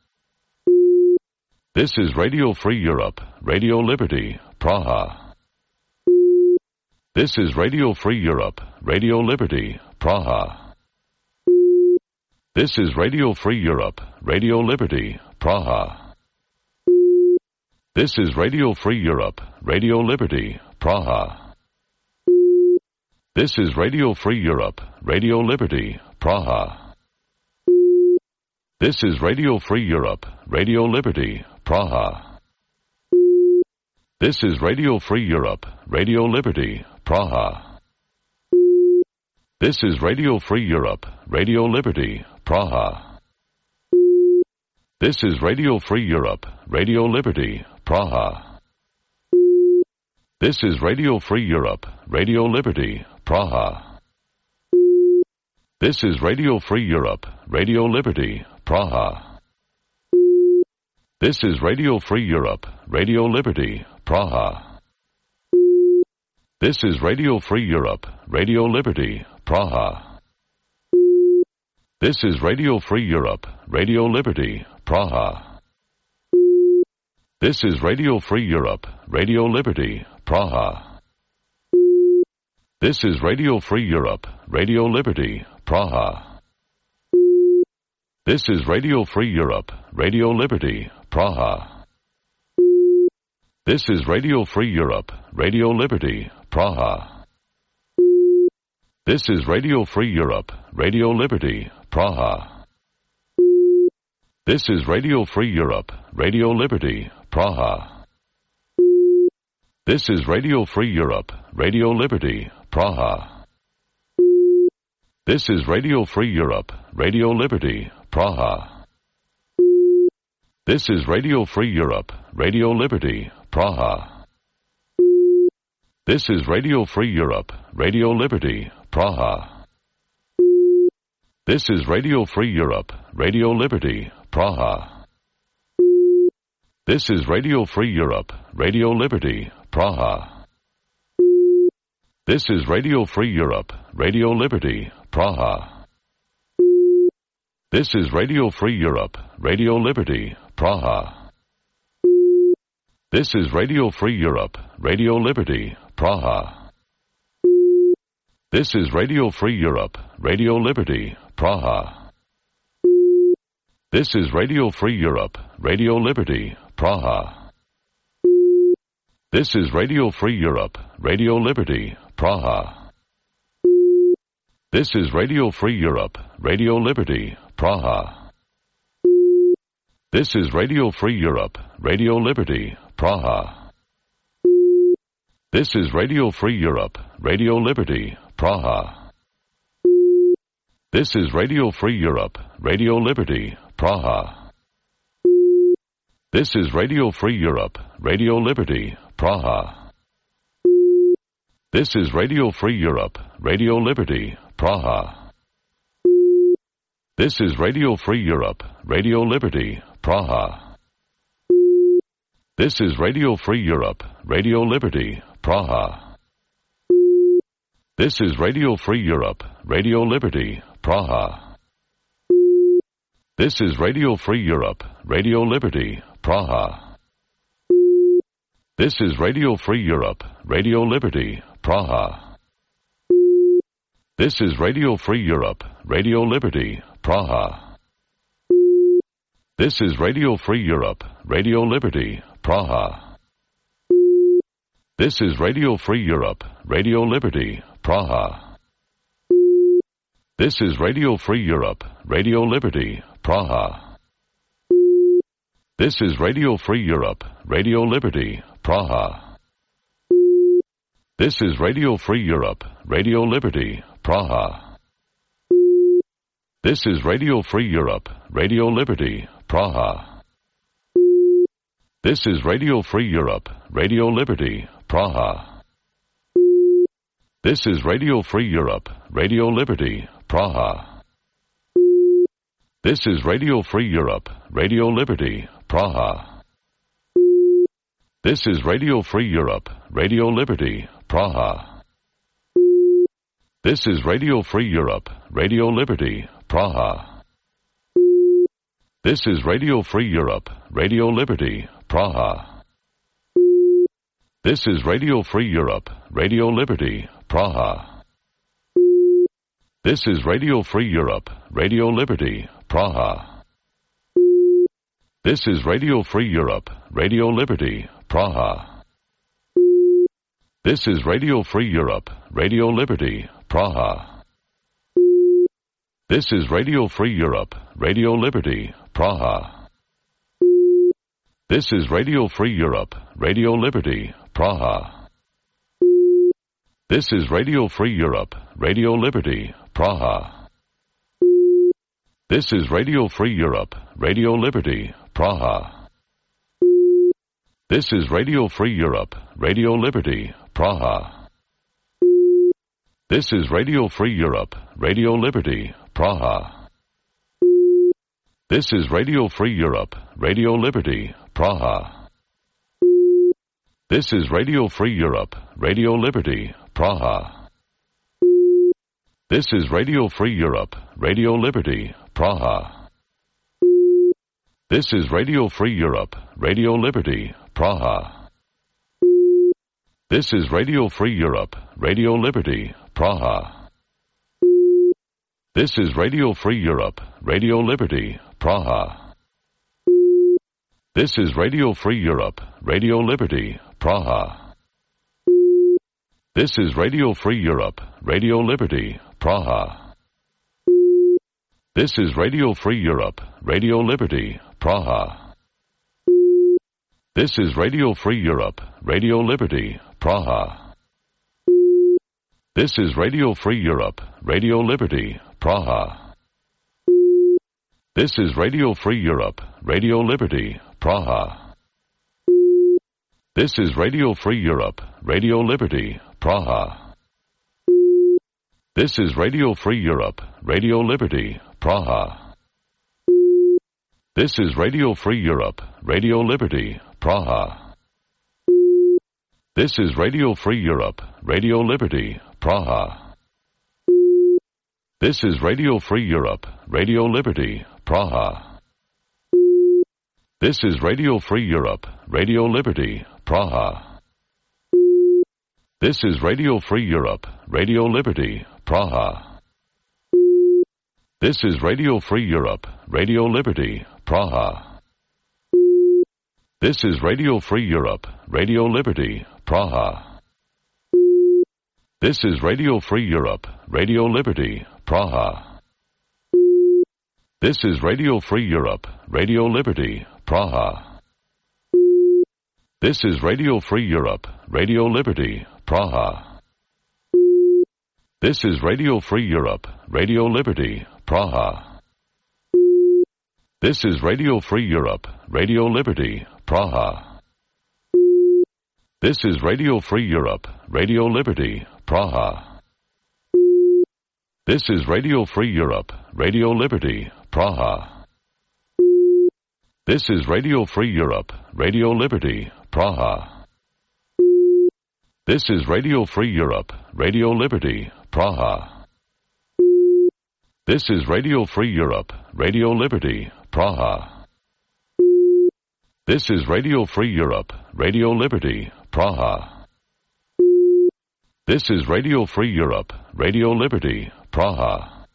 This is Radio Free Europe, Radio Liberty, Praha. This is Radio Free Europe, Radio Liberty, Praha. This is Radio Free Europe, Radio Liberty, Praha. This is Radio Free Europe, Radio Liberty, Praha. This is Radio Free Europe, Radio Liberty, Praha. This is Radio Free Europe, Radio Liberty, Praha. This is Radio Free Europe, Radio Liberty, Praha. This is Radio Free Europe, Radio Liberty, Praha. This is Radio Free Europe, Radio Liberty, Praha. This is Radio Free Europe, Radio Liberty, Praha. This is Radio Free Europe, Radio Liberty, Praha. This is Radio Free Europe, Radio Liberty, Praha. This is Radio Free Europe, Radio Liberty, Praha. This is Radio Free Europe, Radio Liberty, Praha. This is Radio Free Europe, Radio Liberty, Praha. This is Radio Free Europe, Radio Liberty, Praha. This is Radio Free Europe, Radio Liberty, Praha. This is Radio Free Europe, Radio Liberty, Praha. This is Radio Free Europe, Radio Liberty, Praha. This is Radio Free Europe, Radio Liberty, Praha. This is Radio Free Europe, Radio Liberty, Praha. This is Radio Free Europe, Radio Liberty, Praha. This is Radio Free Europe, Radio Liberty, Praha. This is Radio Free Europe, Radio Liberty, Praha. This is Radio Free Europe, Radio Liberty, Praha. This is Radio Free Europe, Radio Liberty, Praha. This is Radio Free Europe, Radio Liberty, Praha. This is Radio Free Europe, Radio Liberty, Praha. This is Radio Free Europe, Radio Liberty, Praha. This is Radio Free Europe, Radio Liberty, Praha. This is Radio Free Europe, Radio Liberty, Praha. This is Radio Free Europe, Radio Liberty, Praha. This is Radio Free Europe, Radio Liberty, Praha. This is Radio Free Europe, Radio Liberty, Praha. This is Radio Free Europe, Radio Liberty, Praha. This is Radio Free Europe, Radio Liberty, Praha. This is Radio Free Europe, Radio Liberty, Praha. This is Radio Free Europe, Radio Liberty, Praha. This is Radio Free Europe, Radio Liberty, Praha. This is Radio Free Europe, Radio Liberty, Praha. This is Radio Free Europe, Radio Liberty, Praha. This is Radio Free Europe, Radio Liberty, Praha. This is Radio Free Europe, Radio Liberty, Praha. This is Radio Free Europe, Radio Liberty, Praha. This is Radio Free Europe, Radio Liberty, Praha. This is Radio Free Europe, Radio Liberty, Praha. This is Radio Free Europe, Radio Liberty, Praha. This is Radio Free Europe, Radio Liberty, Praha. This is Radio Free Europe, Radio Liberty, Praha. This is Radio Free Europe, Radio Liberty, Praha. This is Radio Free Europe, Radio Liberty, Praha. This is Radio Free Europe, Radio Liberty, Praha. This is Radio Free Europe, Radio Liberty, Praha. This is Radio Free Europe, Radio Liberty, Praha. This is Radio Free Europe, Radio Liberty, Praha. This is Radio Free Europe, Radio Liberty, Praha. This is Radio Free Europe, Radio Liberty, Praha. This is Radio Free Europe, Radio Liberty, Praha. This is Radio Free Europe, Radio Liberty, Praha. This is Radio Free Europe, Radio Liberty, Praha. This is Radio Free Europe, Radio Liberty, Praha. This is Radio Free Europe, Radio Liberty, Praha. This is Radio Free Europe, Radio Liberty, Praha. This is Radio Free Europe, Radio Liberty, Praha. This is Radio Free Europe, Radio Liberty, Praha. This is Radio Free Europe, Radio Liberty, Praha. This is Radio Free Europe, Radio Liberty, Praha. This is Radio Free Europe, Radio Liberty, Praha. This is Radio Free Europe, Radio Liberty, Praha. This is Radio Free Europe, Radio Liberty, Praha. This is Radio Free Europe, Radio Liberty, Praha. This is Radio Free Europe, Radio Liberty, Praha. This is Radio Free Europe, Radio Liberty, Praha. This is Radio Free Europe, Radio Liberty, Praha. This is Radio Free Europe, Radio Liberty, Praha. This is Radio Free Europe, Radio Liberty, Praha. This is Radio Free Europe, Radio Liberty, Praha. This is Radio Free Europe, Radio Liberty, Praha. This is Radio Free Europe, Radio Liberty, Praha. This is Radio Free Europe, Radio Liberty, Praha. This is Radio Free Europe, Radio Liberty, Praha. This is Radio Free Europe, Radio Liberty, Praha. This is Radio Free Europe, Radio Liberty, Praha. This is Radio Free Europe, Radio Liberty, Praha. This is Radio Free Europe, Radio Liberty, Praha. This is Radio Free Europe, Radio Liberty, Praha. This is Radio Free Europe, Radio Liberty, Praha. This is Radio Free Europe, Radio Liberty, Praha. This is Radio Free Europe, Radio Liberty, Praha. This is Radio Free Europe, Radio Liberty, Praha. This is Radio Free Europe, Radio Liberty, Praha. This is Radio Free Europe, Radio Liberty, Praha. This is Radio Free Europe, Radio Liberty, Praha. This is Radio Free Europe, Radio Liberty, Praha. This is Radio Free Europe, Radio Liberty, Praha. This is Radio Free Europe, Radio Liberty, Praha. This is Radio Free Europe, Radio Liberty, Praha. This is Radio Free Europe, Radio Liberty, Praha. This is Radio Free Europe, Radio Liberty, Praha.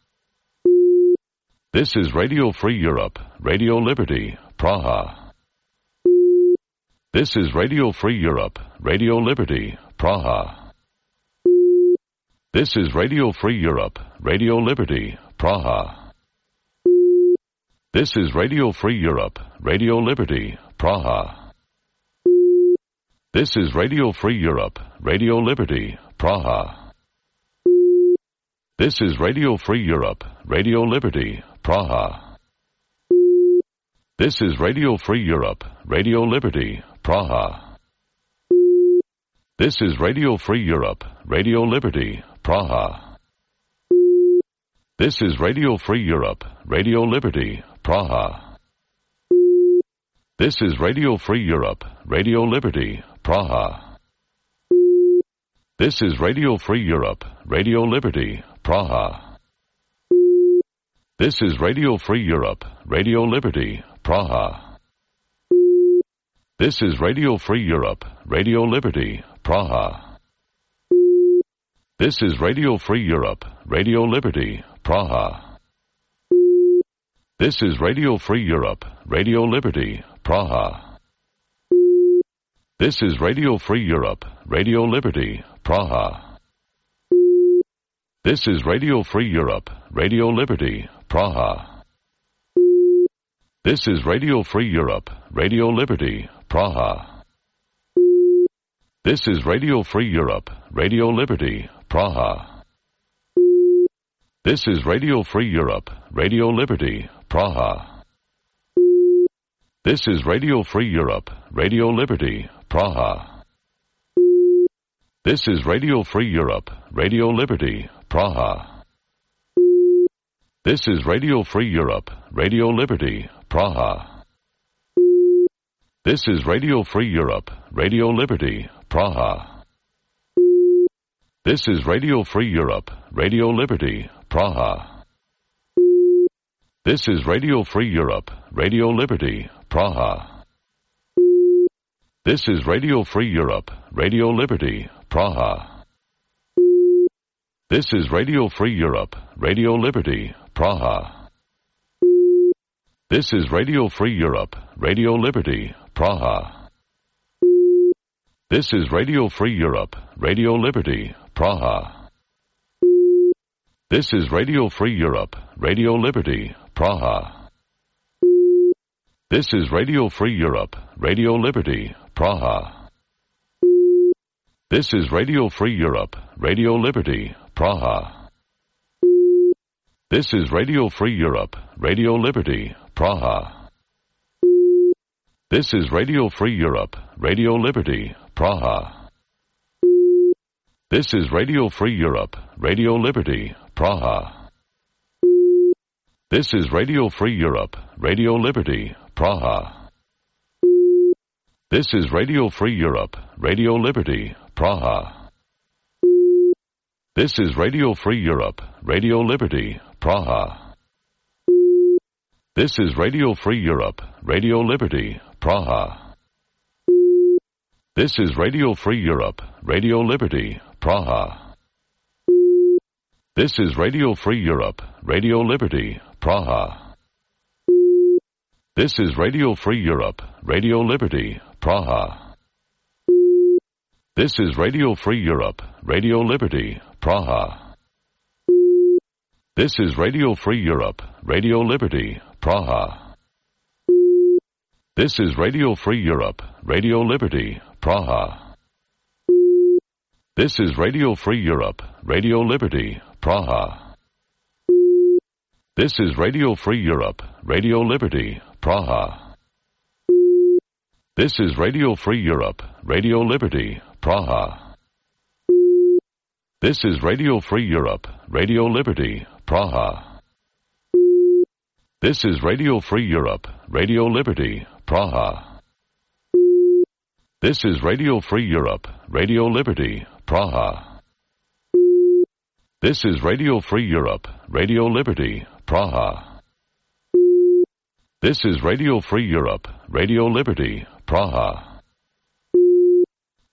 This is Radio Free Europe, Radio Liberty, Praha. This is Radio Free Europe, Radio Liberty, Praha. This is Radio Free Europe, Radio Liberty, Praha. This is Radio Free Europe, Radio Liberty, Praha. This is Radio Free Europe, Radio Liberty, Praha. This is Radio Free Europe, Radio Liberty, Praha. This is Radio Free Europe, Radio Liberty, Praha. This is Radio Free Europe, Radio Liberty, Praha. This is Radio Free Europe, Radio Liberty, Praha. This is Radio Free Europe, Radio Liberty, Praha. This is Radio Free Europe, Radio Liberty, Praha. This is Radio Free Europe, Radio Liberty, Praha. This is Radio Free Europe, Radio Liberty, Praha. This is Radio Free Europe, Radio Liberty, Praha. This is Radio Free Europe, Radio Liberty, Praha. This is Radio Free Europe, Radio Liberty, Praha. This is Radio Free Europe, Radio Liberty, Praha. This is Radio Free Europe, Radio Liberty, Praha. This is Radio Free Europe, Radio Liberty, Praha. This is Radio Free Europe, Radio Liberty, Praha. This is Radio Free Europe, Radio Liberty, Praha. This is Radio Free Europe, Radio Liberty, Praha. This is Radio Free Europe, Radio Liberty, Praha. This is Radio Free Europe, Radio Liberty, Praha. This is Radio Free Europe, Radio Liberty, Praha. This is Radio Free Europe, Radio Liberty, Praha. This is Radio Free Europe, Radio Liberty, Praha. This is Radio Free Europe, Radio Liberty, Praha. This is Radio Free Europe, Radio Liberty, Praha. This is Radio Free Europe, Radio Liberty, Praha. This is Radio Free Europe, Radio Liberty, Praha. This is Radio Free Europe, Radio Liberty, Praha. This is Radio Free Europe, Radio Liberty, Praha. This is Radio Free Europe, Radio Liberty, Praha. This is Radio Free Europe, Radio Liberty, Praha. This is Radio Free Europe, Radio Liberty, Praha. This is Radio Free Europe, Radio Liberty, Praha. This is Radio Free Europe, Radio Liberty, Praha. This is Radio Free Europe, Radio Liberty, Praha. This is Radio Free Europe, Radio Liberty, Praha. This is Radio Free Europe, Radio Liberty, Praha. This is Radio Free Europe, Radio Liberty, Praha. This is Radio Free Europe, Radio Liberty, Praha. This is Radio Free Europe, Radio Liberty, Praha. This is Radio Free Europe, Radio Liberty, Praha. This is Radio Free Europe, Radio Liberty, Praha. This is Radio Free Europe, Radio Liberty, Praha. This is Radio Free Europe, Radio Liberty, Praha. This is Radio Free Europe, Radio Liberty, Praha. This is Radio Free Europe, Radio Liberty, Praha. This is Radio Free Europe, Radio Liberty, Praha. This is Radio Free Europe, Radio Liberty, Praha. This is Radio Free Europe, Radio Liberty, Praha. This is Radio Free Europe, Radio Liberty, Praha.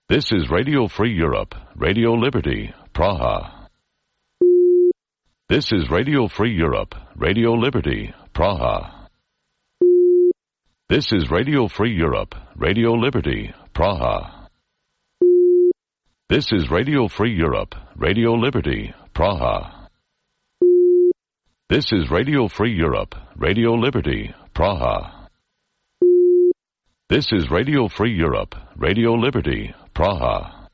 This is Radio Free Europe, Radio Liberty, Praha. This is Radio Free Europe, Radio Liberty, Praha. This is Radio Free Europe, Radio Liberty, Praha. This is Radio Free Europe, Radio Liberty, Praha. This is Radio Free Europe, Radio Liberty, Praha. This is Radio Free Europe, Radio Liberty, Praha.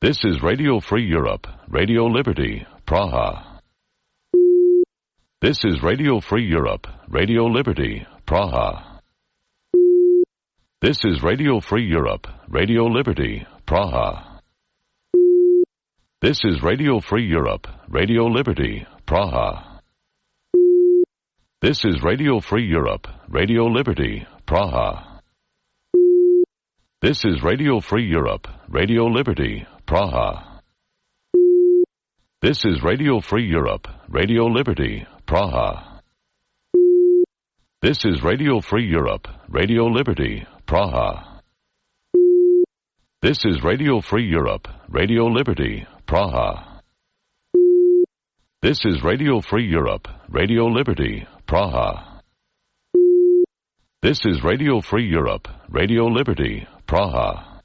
This is Radio Free Europe, Radio Liberty, Praha. This is Radio Free Europe, Radio Liberty, Praha. This is Radio Free Europe, Radio Liberty, Praha. This is Radio Free Europe, Radio Liberty, Praha. This is Radio Free Europe, Radio Liberty, Praha. This is Radio Free Europe, Radio Liberty, Praha. This is Radio Free Europe, Radio Liberty, Praha. This is Radio Free Europe, Radio Liberty, Praha. This is Radio Free Europe, Radio Liberty, Praha. This is Radio Free Europe, Radio Liberty, Praha. This is Radio Free Europe, Radio Liberty, Praha.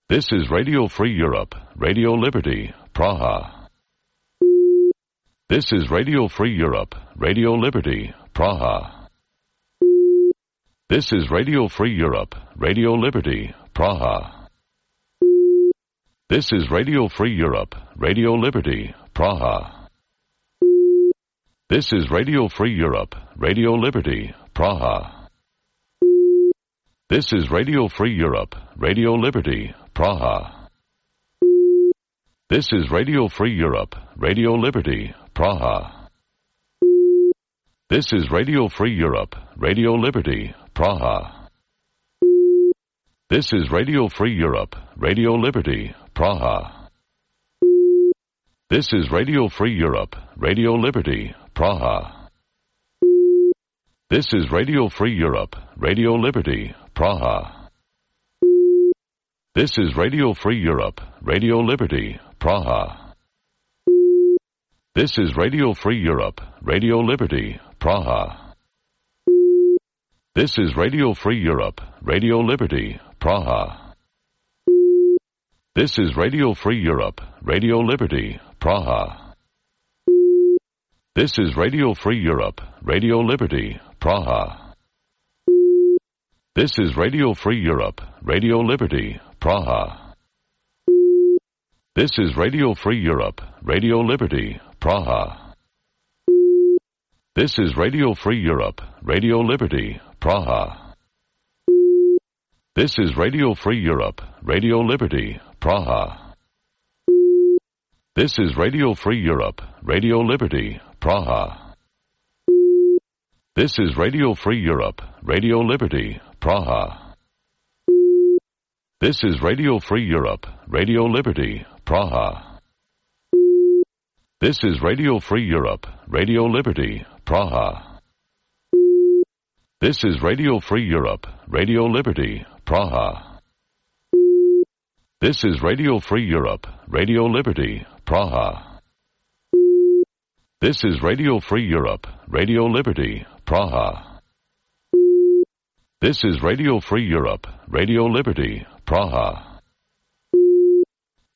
This is Radio Free Europe, Radio Liberty, Praha. This is Radio Free Europe, Radio Liberty, Praha. This is Radio Free Europe, Radio Liberty, Praha. This is Radio Free Europe, Radio Liberty, Praha. This is Radio Free Europe, Radio Liberty, Praha. This is Radio Free Europe, Radio Liberty, Praha. This is Radio Free Europe, Radio Liberty, Praha. This is Radio Free Europe, Radio Liberty, Praha. This is Radio Free Europe, Radio Liberty, Praha. This is Radio Free Europe, Radio Liberty, Praha. This is Radio Free Europe, Radio Liberty, Praha. This is Radio Free Europe, Radio Liberty, Praha. This is Radio Free Europe, Radio Liberty, Praha. This is Radio Free Europe, Radio Liberty, Praha. This is Radio Free Europe, Radio Liberty, Praha. This is Radio Free Europe, Radio Liberty, Praha. This is Radio Free Europe, Radio Liberty, Praha. This is Radio Free Europe, Radio Liberty, Praha. This is Radio Free Europe, Radio Liberty, Praha. This is Radio Free Europe, Radio Liberty, Praha. This is Radio Free Europe, Radio Liberty, Praha. This is Radio Free Europe, Radio Liberty, Praha. This is Radio Free Europe, Radio Liberty, Praha. This is Radio Free Europe, Radio Liberty, Praha. This is Radio Free Europe, Radio Liberty, Praha. This is Radio Free Europe, Radio Liberty, Praha. This is Radio Free Europe, Radio Liberty, Praha. This is Radio Free Europe, Radio Liberty, Praha.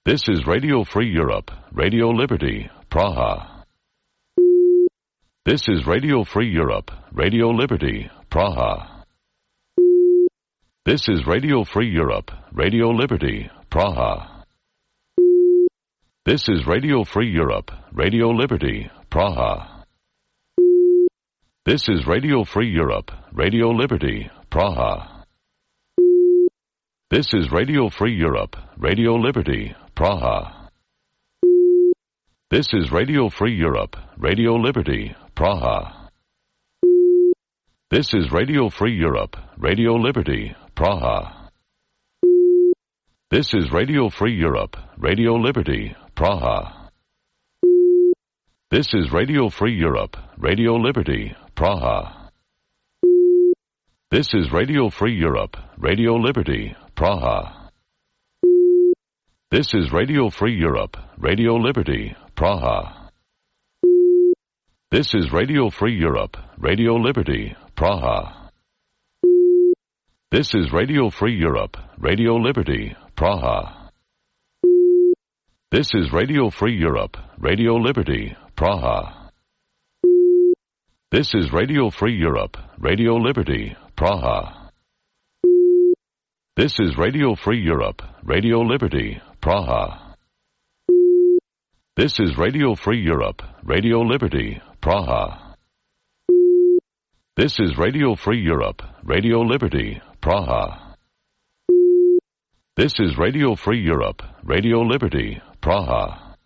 This is Radio Free Europe, Radio Liberty, Praha. This is Radio Free Europe, Radio Liberty, Praha. This is Radio Free Europe, Radio Liberty, Praha. This is Radio Free Europe, Radio Liberty, Praha. This is Radio Free Europe, Radio Liberty, Praha. This is Radio Free Europe, Radio Liberty, Praha. This is Radio Free Europe, Radio Liberty, Praha. This is Radio Free Europe, Radio Liberty, Praha. This is Radio Free Europe, Radio Liberty, Praha. This is Radio Free Europe, Radio Liberty, Praha. This is Radio Free Europe, Radio Liberty, Praha. This is Radio Free Europe, Radio Liberty, Praha. This is Radio Free Europe, Radio Liberty, Praha. This is Radio Free Europe, Radio Liberty, Praha. This is Radio Free Europe, Radio Liberty, Praha. This is Radio Free Europe, Radio Liberty, Praha. This is Radio Free Europe, Radio Liberty, Praha. This is Radio Free Europe, Radio Liberty, Praha. This is Radio Free Europe, Radio Liberty, Praha. This is Radio Free Europe, Radio Liberty, Praha.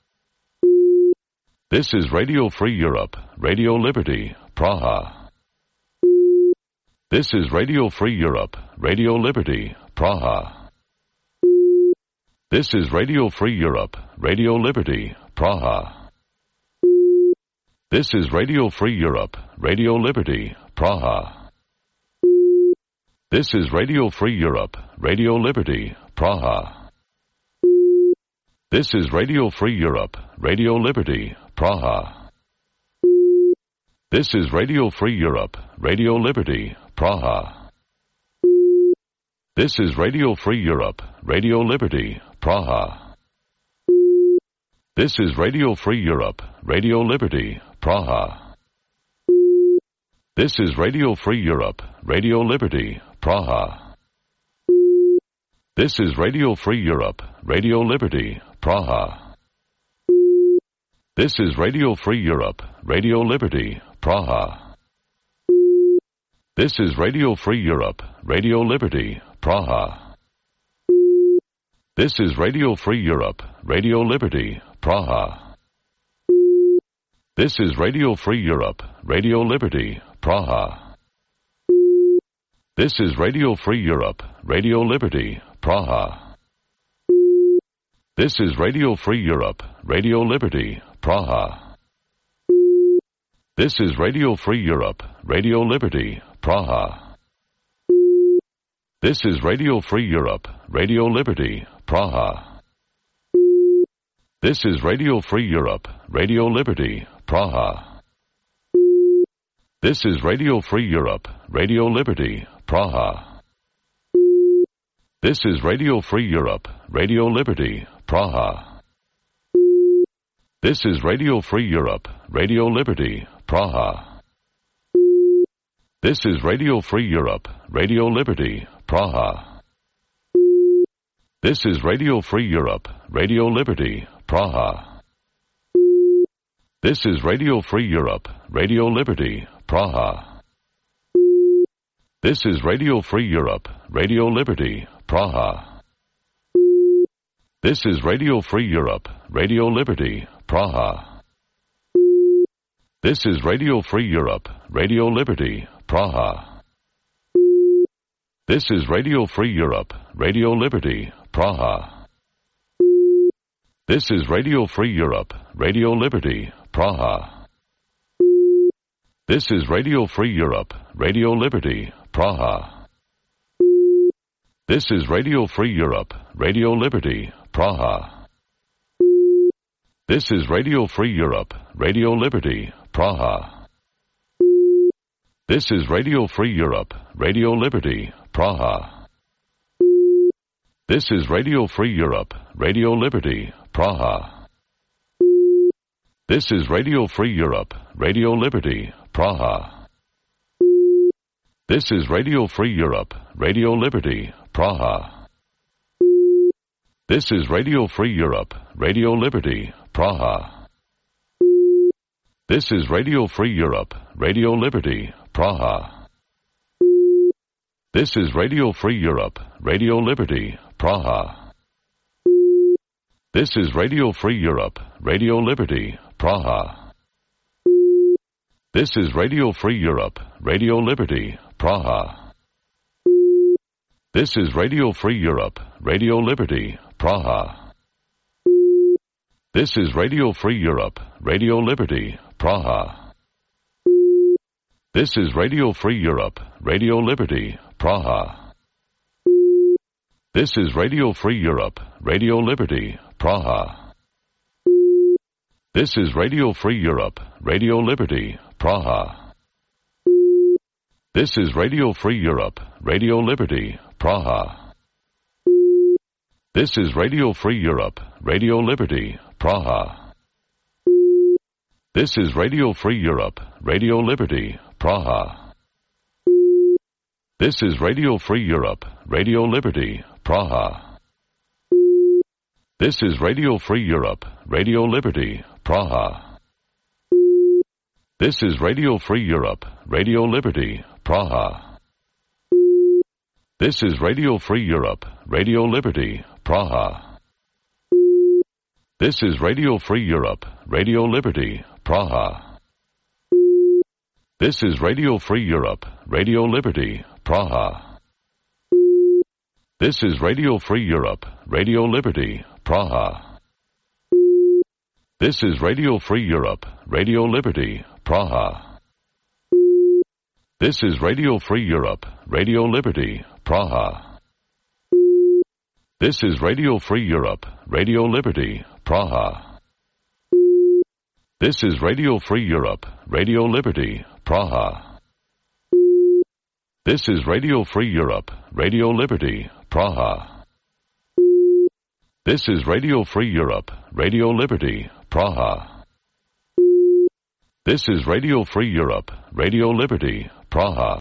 This is Radio Free Europe, Radio Liberty, Praha. This is Radio Free Europe, Radio Liberty, Praha. This is Radio Free Europe, Radio Liberty, Praha. This is Radio Free Europe, Radio Liberty, Praha. This is Radio Free Europe, Radio Liberty, Praha. This is Radio Free Europe, Radio Liberty, Praha. This is Radio Free Europe, Radio Liberty, Praha. This is Radio Free Europe, Radio Liberty, Praha. This is Radio Free Europe, Radio Liberty, Praha. This is Radio Free Europe, Radio Liberty, Praha. This is Radio Free Europe, Radio Liberty, Praha. This is Radio Free Europe, Radio Liberty, Praha. This is Radio Free Europe, Radio Liberty, Praha. This is Radio Free Europe, Radio Liberty, Praha. This is Radio Free Europe, Radio Liberty, Praha. This is Radio Free Europe, Radio Liberty, Praha. This is Radio Free Europe, Radio Liberty, Praha. This is Radio Free Europe, Radio Liberty, Praha. This is Radio Free Europe, Radio Liberty, Praha. This is Radio Free Europe, Radio Liberty, Praha. This is Radio Free Europe, Radio Liberty, Praha. This is Radio Free Europe, Radio Liberty, Praha. This is Radio Free Europe, Radio Liberty, Praha. This is Radio Free Europe, Radio Liberty, Praha. This is Radio Free Europe, Radio Liberty, Praha. This is Radio Free Europe, Radio Liberty, Praha. This is Radio Free Europe, Radio Liberty, Praha. This is Radio Free Europe, Radio Liberty, Praha. This is Radio Free Europe, Radio Liberty, Praha. This is Radio Free Europe, Radio Liberty, Praha. This is Radio Free Europe, Radio Liberty, Praha. This is Radio Free Europe, Radio Liberty, Praha. This is Radio Free Europe, Radio Liberty, Praha. This is Radio Free Europe, Radio Liberty, Praha. This is Radio Free Europe, Radio Liberty, Praha. This is Radio Free Europe, Radio Liberty, Praha. This is Radio Free Europe, Radio Liberty, Praha. This is Radio Free Europe, Radio Liberty, Praha. This is Radio Free Europe, Radio Liberty, Praha. This is Radio Free Europe, Radio Liberty, Praha. This is Radio Free Europe, Radio Liberty, Praha. This is Radio Free Europe, Radio Liberty, Praha. This is Radio Free Europe, Radio Liberty, Praha. This is Radio Free Europe, Radio Liberty, Praha. This is Radio Free Europe, Radio Liberty, Praha. This is Radio Free Europe, Radio Liberty, Praha. This is Radio Free Europe, Radio Liberty, Praha. This is Radio Free Europe, Radio Liberty, Praha. This is Radio Free Europe, Radio Liberty, Praha. This is Radio Free Europe, Radio Liberty, Praha. This is Radio Free Europe, Radio Liberty, Praha. This is Radio Free Europe, Radio Liberty, Praha. This is Radio Free Europe, Radio Liberty, Praha. This is Radio Free Europe, Radio Liberty, Praha. This is Radio Free Europe, Radio Liberty, Praha. This is Radio Free Europe, Radio Liberty, Praha. This is Radio Free Europe, Radio Liberty, Praha. This is Radio Free Europe, Radio Liberty, Praha. This is Radio Free Europe, Radio Liberty, Praha. This is Radio Free Europe, Radio Liberty, Praha. This is Radio Free Europe, Radio Liberty, Praha. This is Radio Free Europe, Radio Liberty, Praha. This is Radio Free Europe, Radio Liberty, Praha. This is Radio Free Europe, Radio Liberty, Praha. This is Radio Free Europe, Radio Liberty, Praha.